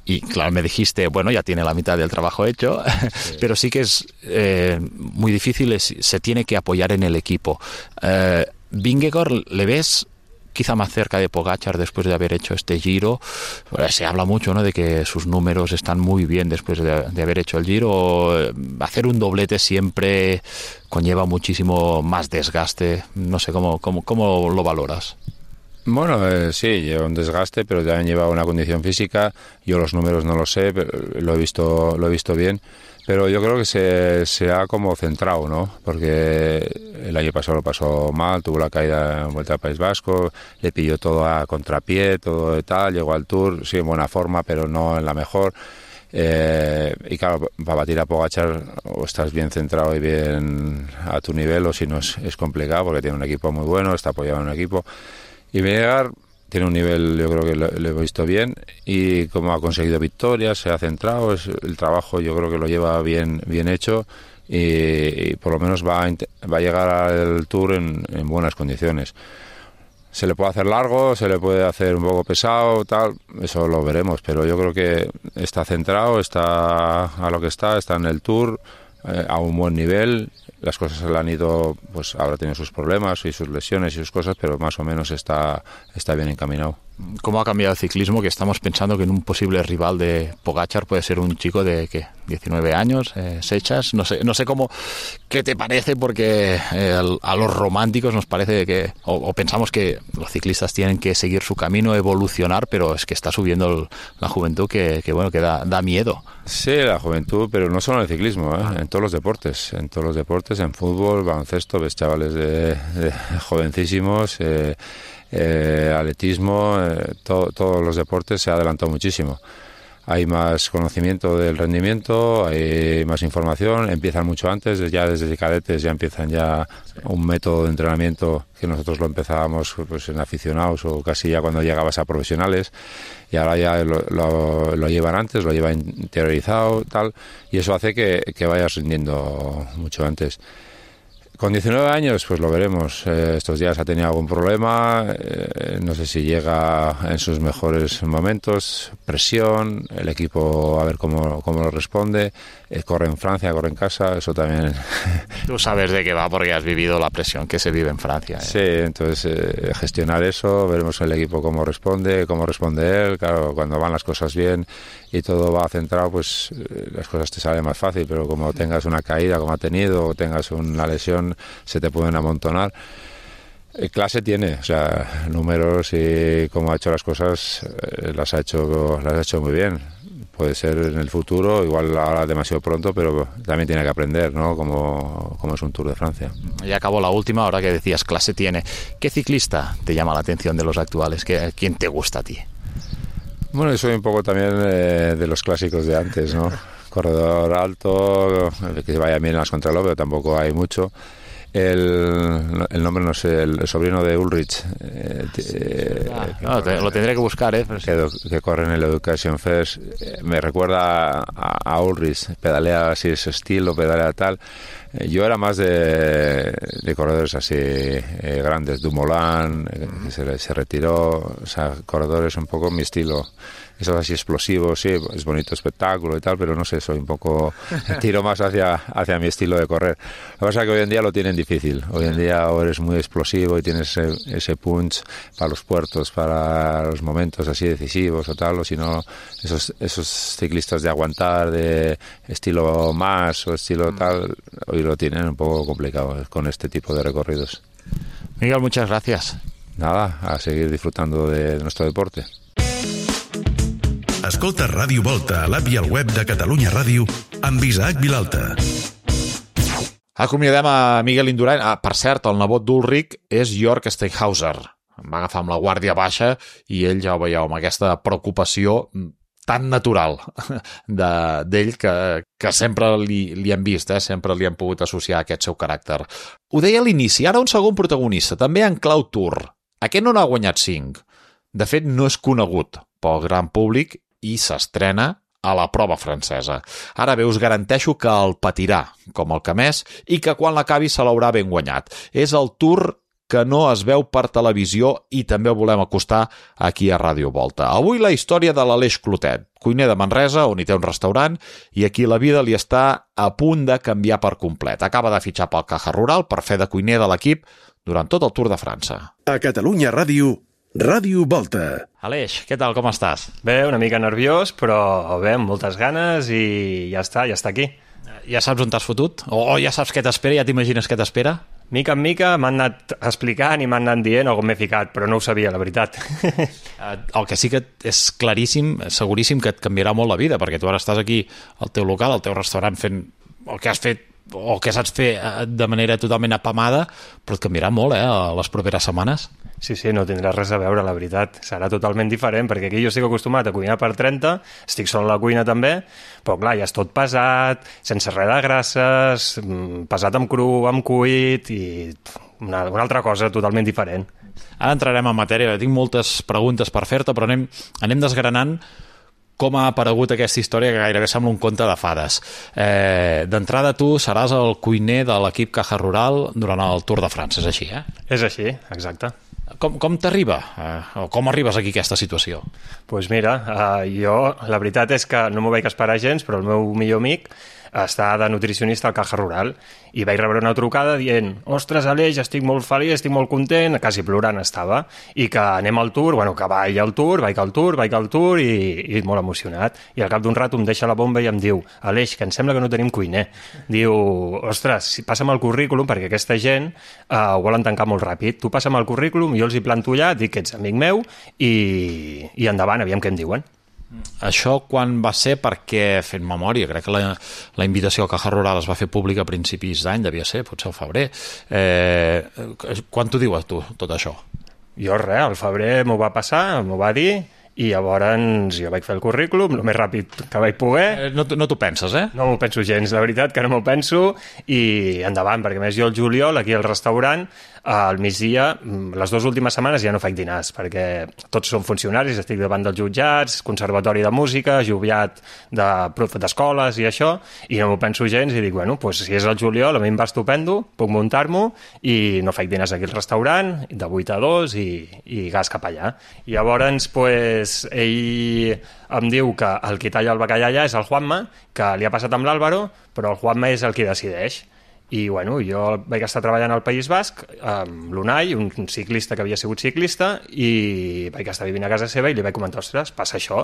Y claro, me dijiste, bueno, ya tiene la mitad del trabajo hecho, sí. Pero sí que es eh, muy difícil, es, se tiene que apoyar en el equipo. Eh, Vingegaard, ¿le ves quizá más cerca de Pogačar después de haber hecho este Giro? Bueno, se habla mucho, ¿no?, de que sus números están muy bien después de, de haber hecho el Giro. Hacer un doblete siempre conlleva muchísimo más desgaste. No sé, ¿cómo, cómo, cómo lo valoras? Bueno, eh, sí, lleva un desgaste, pero también lleva una condición física. Yo los números no los sé, pero lo he visto, lo he visto bien. Pero yo creo que se, se ha como centrado, ¿no? Porque el año pasado lo pasó mal, tuvo la caída en Vuelta al País Vasco, le pilló todo a contrapié, todo de tal, llegó al Tour, sí, en buena forma, pero no en la mejor. Eh, y claro, para batir a Pogačar o estás bien centrado y bien a tu nivel, o si no es, es complicado porque tiene un equipo muy bueno, está apoyado en un equipo. Y Vingegaard tiene un nivel, yo creo que lo, lo he visto bien, y como ha conseguido victorias, se ha centrado, es, el trabajo yo creo que lo lleva bien bien hecho y, y por lo menos va a, va a llegar al Tour en, en buenas condiciones. Se le puede hacer largo, se le puede hacer un poco pesado, tal, eso lo veremos, pero yo creo que está centrado, está a lo que está, está en el Tour, eh, a un buen nivel. Las cosas le han ido, pues ahora tiene sus problemas y sus lesiones y sus cosas, pero más o menos está, está bien encaminado. ¿Cómo ha cambiado el ciclismo? Que estamos pensando que en un posible rival de Pogačar puede ser un chico de ¿qué? diecinueve años, eh, Sechas, no sé, no sé cómo, qué te parece, porque eh, a los románticos nos parece que, o, o pensamos que los ciclistas tienen que seguir su camino, evolucionar, pero es que está subiendo el, la juventud que, que bueno, que da, da miedo. Sí, la juventud, pero no solo en el ciclismo, ¿eh? En todos los deportes, en todos los deportes, en fútbol, baloncesto, ves chavales de, de jovencísimos, eh, eh, atletismo, eh, to, todos los deportes se ha adelantado muchísimo. Hay más conocimiento del rendimiento, hay más información, empiezan mucho antes, ya desde cadetes ya empiezan ya un método de entrenamiento que nosotros lo empezábamos pues en aficionados o casi ya cuando llegabas a profesionales, y ahora ya lo, lo, lo llevan antes, lo llevan interiorizado, tal, y eso hace que, que vayas rindiendo mucho antes. Con diecinueve años, pues lo veremos. Eh, estos días ha tenido algún problema, eh, no sé si llega en sus mejores momentos, presión, el equipo a ver cómo, cómo lo responde, eh, corre en Francia, corre en casa, eso también... Tú sabes de qué va porque has vivido la presión que se vive en Francia. ¿eh? Sí, entonces eh, gestionar eso, veremos el equipo cómo responde, cómo responde él, claro, cuando van las cosas bien y todo va centrado, pues eh, las cosas te salen más fácil, pero como tengas una caída como ha tenido o tengas una lesión, se te pueden amontonar. Eh, clase tiene, o sea, números y cómo ha hecho las cosas, eh, las ha hecho las ha hecho muy bien. Puede ser en el futuro, igual ahora demasiado pronto, pero también tiene que aprender, ¿no? Como, como es un Tour de Francia. Ya acabó la última, ahora que decías clase tiene. ¿Qué ciclista te llama la atención de los actuales? ¿Qué, ¿Quién te gusta a ti? Bueno, yo soy un poco también eh, de los clásicos de antes, ¿no? Corredor alto, que vaya bien en las contrarreloj, pero tampoco hay mucho. El, el nombre no sé, el sobrino de Ulrich, eh, eh, ah, no, te, lo tendré que buscar, ¿eh? Pero sí. que, que corre en el Education First, eh, me recuerda a, a Ulrich, pedalea así ese estilo, pedalea tal. Eh, yo era más de, de corredores así eh, grandes, Dumoulin, eh, que se, se retiró, o sea, corredores un poco mi estilo. Esos así explosivos, sí, es bonito espectáculo y tal, pero no sé, soy un poco, tiro más hacia, hacia mi estilo de correr. Lo que pasa es que hoy en día lo tienen difícil. Hoy en día o eres muy explosivo y tienes ese, ese punch para los puertos, para los momentos así decisivos o tal, o si no, esos, esos ciclistas de aguantar, de estilo más o estilo tal, hoy lo tienen un poco complicado con este tipo de recorridos. Miguel, muchas gracias. Nada, a seguir disfrutando de nuestro deporte. Escolta Ràdio Volta a l'app i al web de Catalunya Ràdio amb Isaac Vilalta. Acomiadem a Miguel Indurain. Ah, per cert, el nebot d'Ulrich és Jörg Steinhauser. Em va agafar amb la guàrdia baixa i ell, ja ho veieu, amb aquesta preocupació tan natural d'ell que, que sempre li, li hem vist, eh? Sempre li hem pogut associar aquest seu caràcter. Ho deia a l'inici, ara un segon protagonista, també en clau Tour. Aquest no n'ha guanyat cinc. De fet, no és conegut pel gran públic i s'estrena a la prova francesa. Ara bé, us garanteixo que el patirà, com el que més, i que quan l'acabi se l'haurà ben guanyat. És el Tour que no es veu per televisió i també el volem acostar aquí a Ràdio Volta. Avui la història de l'Aleix Clotet, cuiner de Manresa, on hi té un restaurant, i aquí la vida li està a punt de canviar per complet. Acaba de fitxar pel Caja Rural per fer de cuiner de l'equip durant tot el Tour de França. A Catalunya Ràdio, Ràdio Volta. Aleix, què tal, com estàs? Bé, una mica nerviós, però bé, amb moltes ganes i ja està, ja està aquí. Ja saps on t'has fotut? O ja saps què t'espera? Ja t'imagines què t'espera? Mica en mica m'han anat explicant i m'han anat dient on m'he ficat, però no ho sabia, la veritat. El que sí que és claríssim, seguríssim que et canviarà molt la vida, perquè tu ara estàs aquí al teu local, al teu restaurant, fent el que has fet o que saps fer de manera totalment apamada, però et canviarà molt, eh, les properes setmanes. Sí, sí, no tindrà res a veure, la veritat. Serà totalment diferent, perquè aquí jo estic acostumat a cuinar per trenta, estic sol a la cuina també, però clar, ja és tot pesat, sense res de grasses, pesat amb cru, amb cuit, i una, una altra cosa totalment diferent. Ara entrarem en matèria, tinc moltes preguntes per fer-te, però anem, anem desgranant com ha aparegut aquesta història que gairebé sembla un conte de fades. Eh, D'entrada, tu seràs el cuiner de l'equip Caja Rural durant el Tour de França, és així, eh? És així, exacte. Com, com t'arriba? Eh, o com arribes aquí a aquesta situació? Doncs pues mira, eh, jo, la veritat és que no m'ho vaig esperar gens, però el meu millor amic està de nutricionista al Caja Rural i vaig rebre una trucada dient ostres, Aleix, estic molt feliç, estic molt content, quasi plorant estava, i que anem al Tour, bueno, que vaig al Tour, vaig al Tour, vaig al Tour, i, i molt emocionat. I al cap d'un rato em deixa la bomba i em diu Aleix, que em sembla que no tenim cuiner. Diu, ostres, passa'm el currículum, perquè aquesta gent eh, ho volen tancar molt ràpid. Tu passa'm el currículum, jo els hi planto allà, dic que ets amic meu, i, i endavant, aviam què em diuen. Això quan va ser? Perquè, fent memòria, crec que la, la invitació al Caja Rural es va fer pública a principis d'any, devia ser, potser al febrer. Eh, quan t'ho diu a tu, tot això? Jo res, al febrer m'ho va passar, m'ho va dir, i llavors jo vaig fer el currículum el més ràpid que vaig poder. Eh, no no t'ho penses, eh? No m'ho penso gens, la veritat que no m'ho penso, i endavant, perquè més jo el juliol, aquí al restaurant, al migdia, les dues últimes setmanes ja no faig dinars, perquè tots són funcionaris, estic davant dels jutjats, conservatori de música, joviat de prof d'escoles i això, i no m'ho penso gens i dic, bueno, pues, si és el juliol, a mi em va estupendo, puc muntar-m'ho i no faig dinars aquí al restaurant, de vuit a dos i, i gas cap allà. I llavors, pues, ell em diu que el qui talla el bacallà allà és el Juanma, que li ha passat amb l'Àlvaro, però el Juanma és el qui decideix. I bueno, jo vaig estar treballant al País Basc amb l'Unai, un ciclista que havia sigut ciclista, i vaig estar vivint a casa seva i li vaig comentar, ostres, passa això.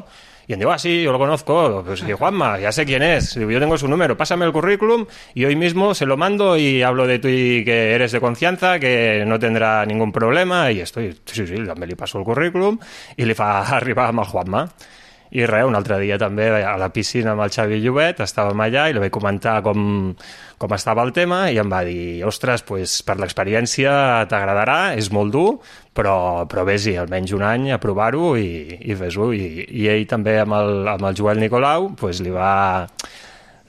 Y él dijo, ah, sí, yo lo conozco. Pues sí, Juanma, ya sé quién es. Digo, yo tengo su número, pásame el currículum y hoy mismo se lo mando y hablo de tú y que eres de confianza, que no tendrá ningún problema. I estoy, sí, sí, també li passo el currículum i li fa arribar amb el Juanma. I res, un altre dia també a la piscina amb el Xavi Llobet, estàvem allà i li vaig comentar com, com estava el tema i em va dir, ostres, pues, per l'experiència t'agradarà, és molt dur, però, però vés-hi almenys un any a provar-ho i, i fes-ho. I, I ell també amb el, amb el Joel Nicolau pues, li va...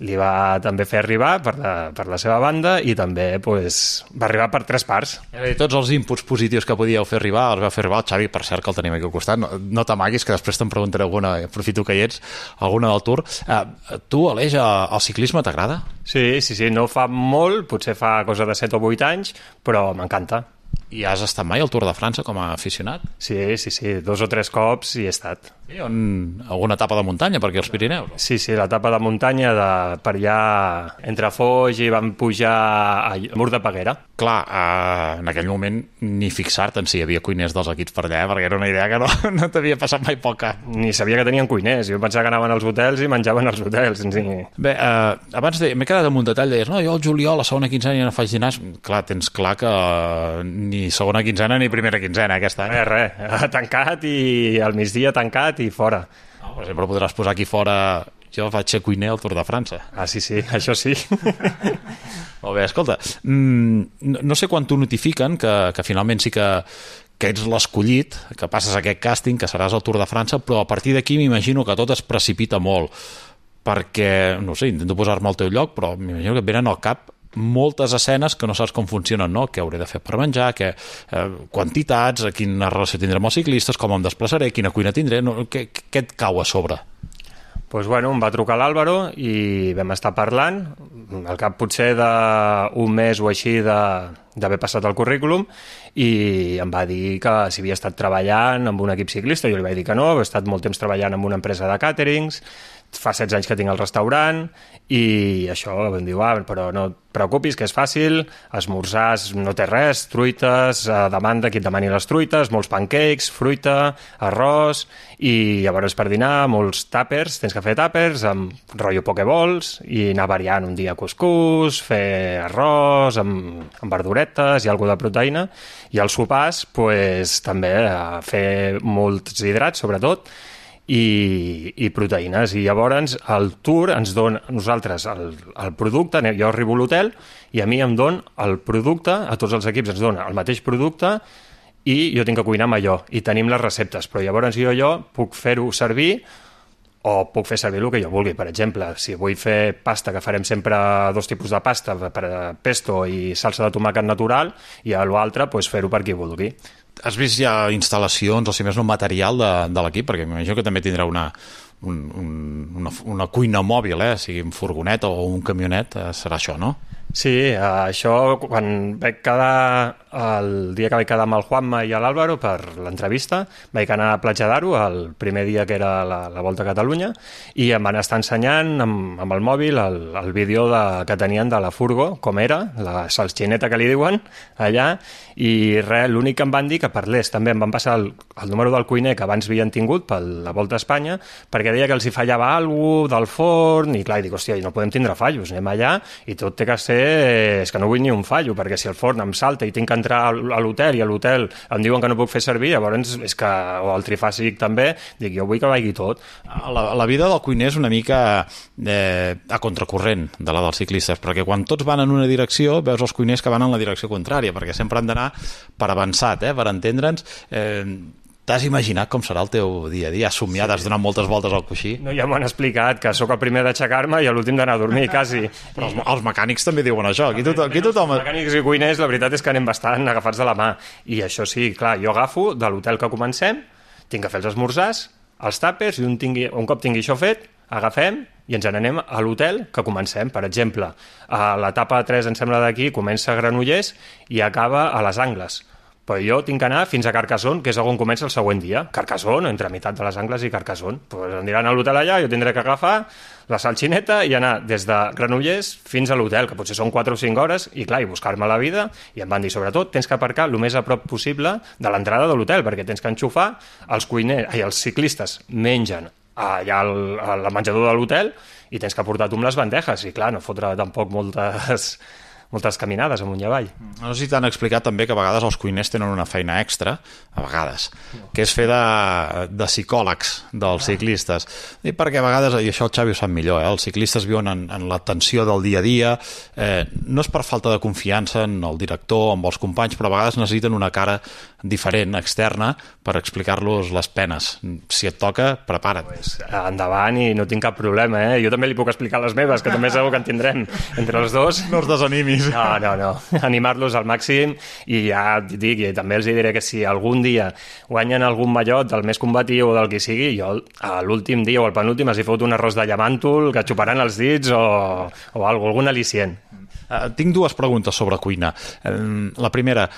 li va també fer arribar per la, per la seva banda i també pues, va arribar per tres parts. Eh, tots els inputs positius que podíeu fer arribar els va fer arribar el Xavi, per cert, que el tenim aquí al costat. No, no t'amaguis, que després te'n preguntaré alguna, aprofito que hi ets, alguna del Tour. Eh, tu, Aleix, el ciclisme t'agrada? Sí, sí, sí, no fa molt, potser fa cosa de set o vuit anys, però m'encanta. I has estat mai al Tour de França com a aficionat? Sí, sí, sí, dos o tres cops hi he estat. Sí, on, alguna etapa de muntanya per aquí als Pirineus? Sí, sí, l'etapa de muntanya de, per allà entre Foix i vam pujar al Mur de Peguera. Clar, eh, en aquell moment ni fixar-te en si hi havia cuiners dels equips per allà, perquè era una idea que no, no t'havia passat mai poc cap. Ni sabia que tenien cuiners, jo pensava que anaven als hotels i menjaven als hotels. Sí. Bé, eh, abans de, m'he quedat amb un detall, deies, no, jo al juliol, a segona quinzena ja no faig dinars. Clar, tens clar que eh, ni segona quinzena ni primera quinzena aquest any. Res, res, tancat i al migdia tancat i fora. No, per exemple, podràs posar aquí fora Jo faig ser cuiner al Tour de França. Ah, sí, sí, això sí. Molt bé, escolta, mmm, no sé quan t'ho notifiquen, que, que finalment sí que, que ets l'escollit, que passes aquest càsting, que seràs al Tour de França, però a partir d'aquí m'imagino que tot es precipita molt, perquè, no sé, intento posar-me al teu lloc, però m'imagino que et venen al cap moltes escenes que no saps com funcionen, no? Què hauré de fer per menjar, que, eh, quantitats, quina relació tindré amb els ciclistes, com em desplaçaré, quina cuina tindré, no? què, què et cau a sobre? Pues bueno, em va trucar l'Àlvaro i vam estar parlant, al cap potser d'un mes o així d'haver passat el currículum, i em va dir que si havia estat treballant amb un equip ciclista. Jo li vaig dir que no, he estat molt temps treballant amb una empresa de càterings, fa setze anys que tinc el restaurant, i això em diu, ah, però no et preocupis, que és fàcil, esmorzars no té res, truites, a demanda qui et demani les truites, molts pancakes, fruita, arròs, i llavors per dinar molts tàpers, tens que fer tàpers amb rotllo pokeballs i anar variant un dia cuscús, fer arròs amb, amb verduretes i alguna de proteïna, i als sopars pues, també fer molts hidrats sobretot, I, i proteïnes, i llavors el tour ens dona a nosaltres el, el producte, jo arribo a l'hotel i a mi em dona el producte, a tots els equips ens dona el mateix producte i jo tinc que cuinar amb allò i tenim les receptes, però llavors jo, jo puc fer-ho servir o puc fer servir el que jo vulgui. Per exemple, si vull fer pasta, que farem sempre dos tipus de pasta, per pesto i salsa de tomàquet natural, i a l'altre pues, fer-ho per qui vulgui. Has vist ja instal·lacions, o si més no, material de, de l'equip? Perquè m'imagino que també tindrà una, un, un, una, una cuina mòbil, eh? Sigui un furgonet o un camionet, eh, serà això, no? Sí, això, quan vaig quedar, el dia que vaig quedar amb el Juanma i l'Àlvaro per l'entrevista, vaig anar a Platja d'Aro el primer dia que era la, la Volta a Catalunya, i em van estar ensenyant amb, amb el mòbil el, el vídeo de, que tenien de la furgo, com era, la salxineta que li diuen allà, i res, l'únic que em van dir que parlés, també em van passar el, el número del cuiner que abans havien tingut per la Volta a Espanya, perquè deia que els hi fallava alguna cosa del forn, i clar, i dic, hòstia, no podem tindre fallos, anem allà, i tot té que ser, és que no vull ni un fallo, perquè si el forn em salta i tinc que entrar a l'hotel i a l'hotel em diuen que no puc fer servir, llavors és que, o el trifàsic també, dic, jo vull que vagi tot. La, la vida del cuiner és una mica eh, a contracorrent de la dels ciclistes, perquè quan tots van en una direcció veus els cuiners que van en la direcció contrària, perquè sempre han d'anar per avançat, eh, per entendre'ns. Eh, T'has imaginat com serà el teu dia a dia? Has somiat, has donat moltes voltes al coixí? No, ja m'ho han explicat, que sóc el primer d'aixecar-me i l'últim d'anar a dormir, quasi. Però els, els mecànics també diuen això. Aquí tothom, aquí tothom... Els mecànics i cuiners, la veritat és que anem bastant agafats de la mà. I això sí, clar, jo agafo de l'hotel que comencem, tinc que fer els esmorzars, els tàpers, i un, tingui, un cop tingui això fet, agafem i ens n'anem a l'hotel que comencem. Per exemple, a l'etapa tres, em sembla d'aquí, comença a Granollers i acaba a les Angles. Però jo tinc que anar fins a Carcassonne, que és on comença el següent dia. Carcassonne, entre meitat de les Angles i Carcassonne. Pues aniran a l'hotel allà, jo tindré que agafar la salxineta i anar des de Granollers fins a l'hotel, que potser són quatre o cinc hores, i clar, i buscar-me la vida, i em van dir, sobretot, tens que aparcar el més a prop possible de l'entrada de l'hotel, perquè tens que enxufar, els cuiners, ai, els ciclistes mengen allà al, al menjador de l'hotel i tens que portar tu amb les bandejes, i clar, no fotre tampoc moltes... moltes caminades amunt i avall. No sé si t'han explicat també que a vegades els cuiners tenen una feina extra, a vegades, que és fer de, de psicòlegs dels ciclistes. I perquè a vegades, i això el Xavi ho sap millor, eh, els ciclistes viuen en, en la tensió del dia a dia, eh, no és per falta de confiança en el director, amb els companys, però a vegades necessiten una cara diferent, externa, per explicar-los les penes. Si et toca, prepara't. Pues, endavant, i no tinc cap problema, eh? Jo també li puc explicar les meves, que també segur que en tindrem entre els dos. No els desanimis. No, no, no. Animar-los al màxim, i ja et dic, i també els diré que si algun dia guanyen algun mallot del més combatiu o del que sigui, jo a l'últim dia o al penúltim els hi fot un arròs de llamàntol que xuparan els dits o, o algo, algun al·licient. Uh, tinc dues preguntes sobre cuina. Uh, la primera,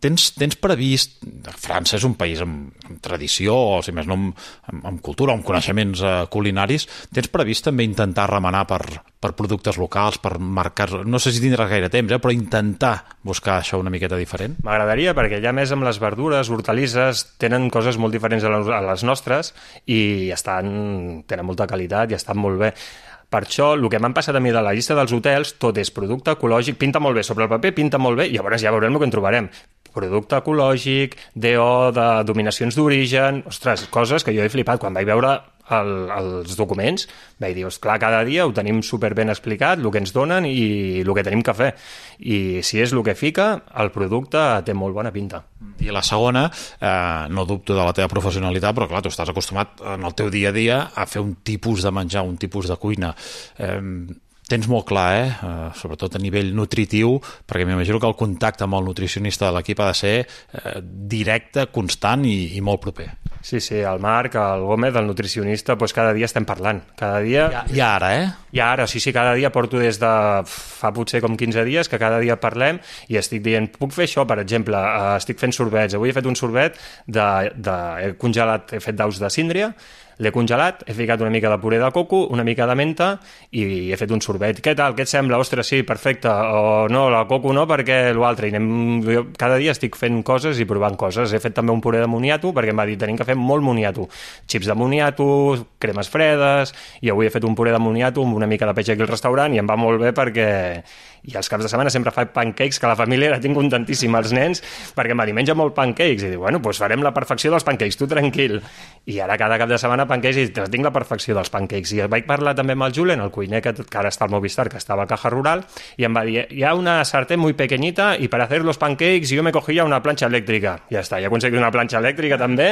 Tens, tens previst... França és un país amb, amb tradició, o si més no amb, amb cultura, amb coneixements eh, culinaris. Tens previst també intentar remenar per, per productes locals, per mercats... No sé si tindràs gaire temps, eh, però intentar buscar això una miqueta diferent? M'agradaria, perquè ja més amb les verdures, hortalisses, tenen coses molt diferents a les nostres i estan, tenen molta qualitat i estan molt bé. Per això, el que m'han passat a mi de la llista dels hotels, tot és producte ecològic, pinta molt bé, sobre el paper pinta molt bé, i llavors ja veurem el que en trobarem. Producte ecològic, D O de dominacions d'origen, ostres, coses que jo he flipat. Quan vaig veure el, els documents, vaig dir, clar, cada dia ho tenim super ben explicat, el que ens donen i el que tenim que fer. I si és el que fica, el producte té molt bona pinta. I la segona, eh, no dubto de la teva professionalitat, però clar, tu estàs acostumat en el teu dia a dia a fer un tipus de menjar, un tipus de cuina. Eh, tens molt clar, eh? eh? Sobretot a nivell nutritiu, perquè m'imagino que el contacte amb el nutricionista de l'equip ha de ser eh, directe, constant i, i molt proper. Sí, sí, el Marc, el Gómez, el nutricionista, doncs cada dia estem parlant. Cada dia... Ja, ja ara, eh? Ja ara, sí, sí, cada dia porto des de fa potser com quinze dies que cada dia parlem i estic dient, puc fer això, per exemple, uh, estic fent sorbets. Avui he fet un sorbet de, de he congelat, he fet daus de síndria, l'he congelat, he ficat una mica de puré de coco, una mica de menta i he fet un sorbet. Què tal? Què et sembla? Ostres, sí, perfecte. O no, la coco no, perquè l'altre. I anem... Jo cada dia estic fent coses i provant coses. He fet també un puré de moniato, perquè em va dir, tenim que fer molt moniato. Xips de moniato, cremes fredes, i avui he fet un puré de moniato amb una mica de peix aquí al restaurant i em va molt bé perquè... I els caps de setmana sempre fa pancakes, que la família la tinc contentíssima, els nens, perquè em va dir, menja molt pancakes. I diu, bueno, doncs farem la perfecció dels pancakes, tu tranquil. I ara cada cap de setmana pancakes i tinc la perfecció dels pancakes. I vaig parlar també amb el Julen, el cuiner que, que ara està al Movistar, que estava a Caja Rural, i em va dir, hi ha una sartén muy pequeñita y para hacer los pancakes yo me cogía una planxa elèctrica. Ja està, ja he aconseguit una planxa elèctrica també,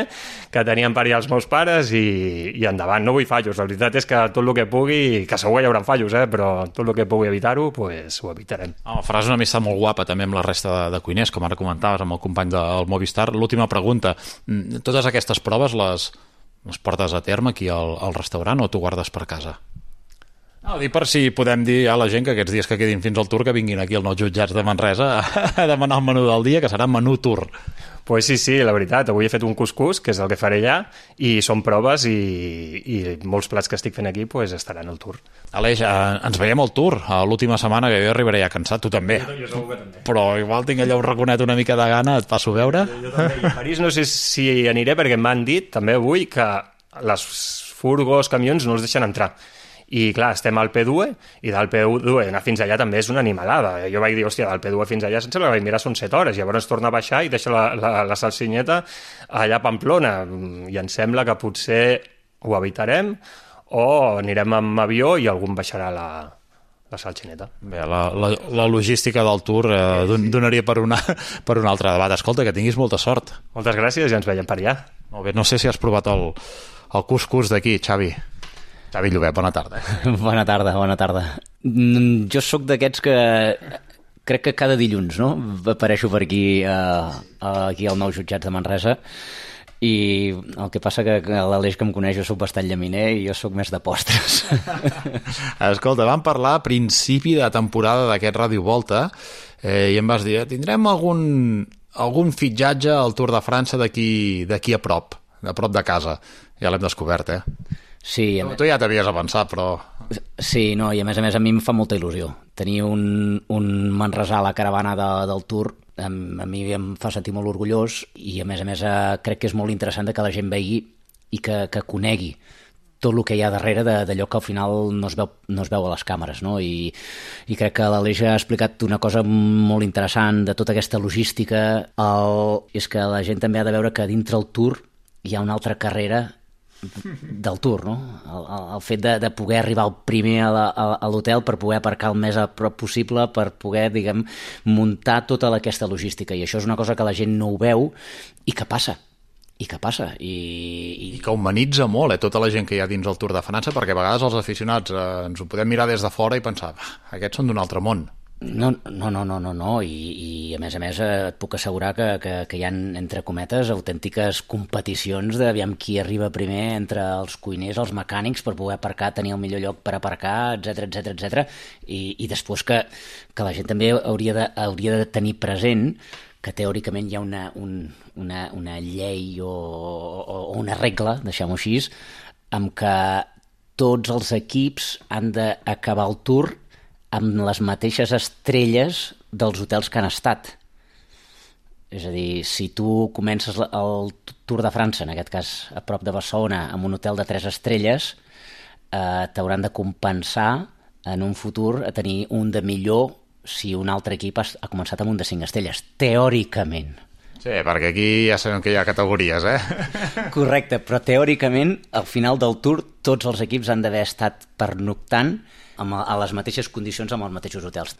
que tenien per allà els meus pares, i, i endavant. No vull fallos, la veritat és que tot el que pugui, que segur hi haurà fallos, eh, però tot el que pugui evitar-ho, pues, ho evitarem. Oh, faràs una amistat molt guapa també amb la resta de, de cuiners, com ara comentaves amb el company del Movistar. L'última pregunta, totes aquestes proves les, les portes a terme aquí al, al restaurant o t'ho guardes per casa? No, dic per si podem dir a la gent que aquests dies que quedin fins al Tour que vinguin aquí als nous jutjats de Manresa a demanar el menú del dia, que serà menú Tour. Pues sí, sí, la veritat, avui he fet un cuscús, que és el que faré allà, i són proves i, i molts plats que estic fent aquí pues, estaran al Tour. Aleix, eh, ens veiem al Tour a l'última setmana, que jo arribaré ja cansat, tu també. Jo, jo segur que també. Però igual tinc allò un raconet una mica de gana, et passo a veure. Jo, jo també. I a París no sé si aniré, perquè m'han dit també avui que les furgos, camions no els deixen entrar. I clar, estem al P dos i del P dos anar fins allà també és una animalada. Jo vaig dir, hòstia, del P dos fins allà sense la vaig mirar són set hores, llavors torna a baixar i deixa la, la, la salsinyeta allà a Pamplona, i em sembla que potser ho evitarem o anirem amb avió i algú em baixarà la, la salxineta. Bé, la, la, la logística del Tour eh, donaria per, una, per un altre debat. Escolta, que tinguis molta sort. Moltes gràcies i ens veiem per allà. Molt bé, no sé si has provat el, el cuscús d'aquí, Xavi. Xavi Llobet, bona tarda. Bona tarda, bona tarda. Jo sóc d'aquests que crec que cada dilluns, no?, apareixo per aquí, eh, aquí al nou jutjats de Manresa, i el que passa que l'Aleix que em coneix jo sóc bastant llaminer i jo sóc més de postres. Escolta, vam parlar a principi de temporada d'aquest Ràdio Volta eh, i em vas dir, tindrem algun, algun fitxatge al Tour de França d'aquí d'aquí a prop, a prop de casa. Ja l'hem descobert, eh? Sí, tu, tu ja t'havies avançat, però... Sí, no, i a més a més a mi em fa molta il·lusió. Tenir un, un manresà a la caravana de, del Tour a, a mi em fa sentir molt orgullós i a més a més eh, crec que és molt interessant que la gent vegi i que, que conegui tot el que hi ha darrere d'allò que al final no es veu, no es veu a les càmeres, no? I, i crec que l'Aleix ha explicat una cosa molt interessant de tota aquesta logística. El, és que la gent també ha de veure que dintre el Tour hi ha una altra carrera del Tour, no? El, el fet de, de poder arribar el primer a, la, a l'hotel per poder aparcar el més a prop possible, per poder, diguem, muntar tota aquesta logística, i això és una cosa que la gent no ho veu i que passa. I que passa. I, i... I que humanitza molt, eh, tota la gent que hi ha dins el Tour de França, perquè a vegades els aficionats eh, ens ho podem mirar des de fora i pensar, aquests són d'un altre món. No, no, no, no, no, no. I, i a més a més et puc assegurar que, que, que hi ha, entre cometes, autèntiques competicions d'aviam qui arriba primer entre els cuiners, els mecànics, per poder aparcar, tenir el millor lloc per aparcar, etcètera, etcètera, etcètera. I, i després que, que la gent també hauria de, hauria de tenir present que teòricament hi ha una, un, una, una llei o, o, o una regla, deixem-ho així, amb que tots els equips han d'acabar el Tour amb les mateixes estrelles dels hotels que han estat. És a dir, si tu comences el Tour de França, en aquest cas a prop de Barcelona, amb un hotel de tres estrelles, eh, t'hauran de compensar en un futur a tenir un de millor si un altre equip ha començat amb un de cinc estrelles, teòricament. Sí, perquè aquí ja sabem que hi ha categories, eh? Correcte, però teòricament, al final del Tour, tots els equips han d'haver estat pernoctant amb, a les mateixes condicions amb els mateixos hotels.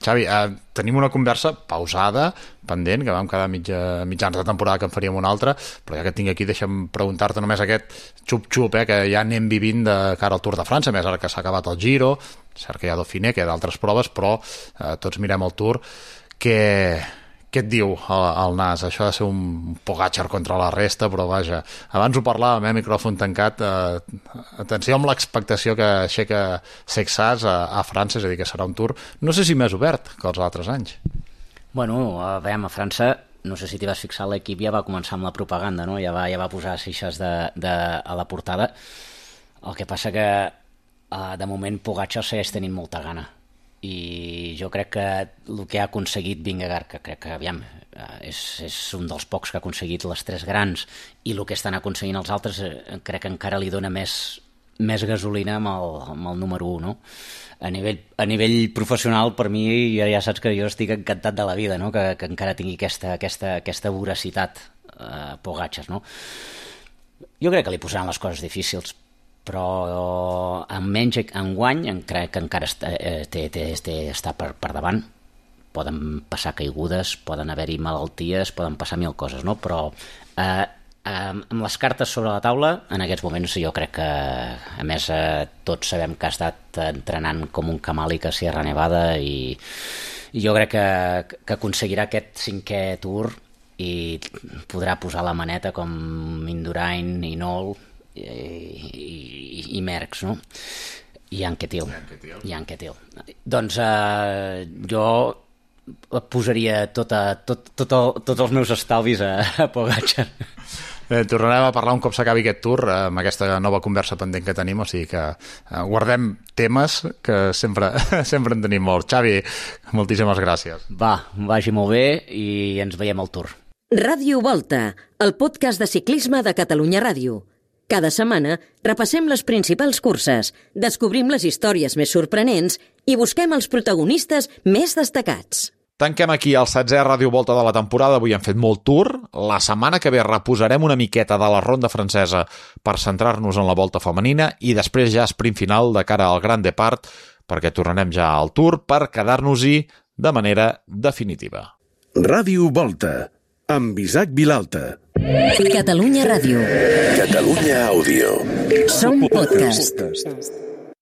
Xavi, eh, tenim una conversa pausada, pendent, que vam quedar mitja, mitjans de temporada que en faríem una altra, però ja que et tinc aquí, deixa'm preguntar-te només aquest xup-xup, eh, que ja anem vivint de cara al Tour de França, més ara que s'ha acabat el Giro, cert que hi ha Dauphiné, que hi ha d'altres proves, però eh, tots mirem el Tour. Què, què et diu el, el Nas? Això ha de ser un Pogačar contra la resta, però vaja, abans ho parlàvem, eh, micròfon tancat, eh, atenció amb l'expectació que aixeca Sexas a, a França, és a dir, que serà un Tour, no sé si més obert que els altres anys. Bueno, a veure, a França, no sé si t'hi vas fixar, l'equip ja va començar amb la propaganda, no? Ja va, ja va posar seixes de, de, a la portada. El que passa que, eh, de moment, Pogačar segueix tenint molta gana. I jo crec que el que ha aconseguit Vingegaard, que crec que, aviam, és, és un dels pocs que ha aconseguit les tres grans, i el que estan aconseguint els altres, crec que encara li dona més, més gasolina amb el, amb el número un, no? A nivell, a nivell professional, per mi, ja, ja saps que jo estic encantat de la vida, no? Que, que encara tingui aquesta, aquesta, aquesta voracitat, eh, Pogačar, no? Jo crec que li posaran les coses difícils, però en menys enguany crec que encara està, eh, té, té, té, està per, per davant. Poden passar caigudes, poden haver-hi malalties, poden passar mil coses, no? Però eh, eh, amb les cartes sobre la taula, en aquests moments jo crec que, a més, eh, tots sabem que ha estat entrenant com un camàlic a Sierra Nevada i, i jo crec que, que aconseguirà aquest cinquè Tour i podrà posar la maneta com Indurain, Hinault i, i, i Merckx, no? I Anquetil. I Anquetil. Doncs eh, jo posaria tota, tot, tot el, tots els meus estalvis a, a Pogačar. Eh, tornarem a parlar un cop s'acabi aquest Tour, eh, amb aquesta nova conversa pendent que tenim, o sigui que eh, guardem temes que sempre, sempre en tenim molts. Xavi, moltíssimes gràcies. Va, vagi molt bé i ens veiem al Tour. Ràdio Volta, el podcast de ciclisme de Catalunya Ràdio. Cada setmana repassem les principals curses, descobrim les històries més sorprenents i busquem els protagonistes més destacats. Tanquem aquí el setzè Ràdio Volta de la temporada. Avui hem fet molt Tour. La setmana que ve reposarem una miqueta de la ronda francesa per centrar-nos en la volta femenina i després ja sprint final de cara al Grand Depart, perquè tornarem ja al Tour per quedar-nos-hi de manera definitiva. Ràdio Volta, amb Isaac Vilalta. Catalunya Ràdio. Catalunya Àudio. Som podcast.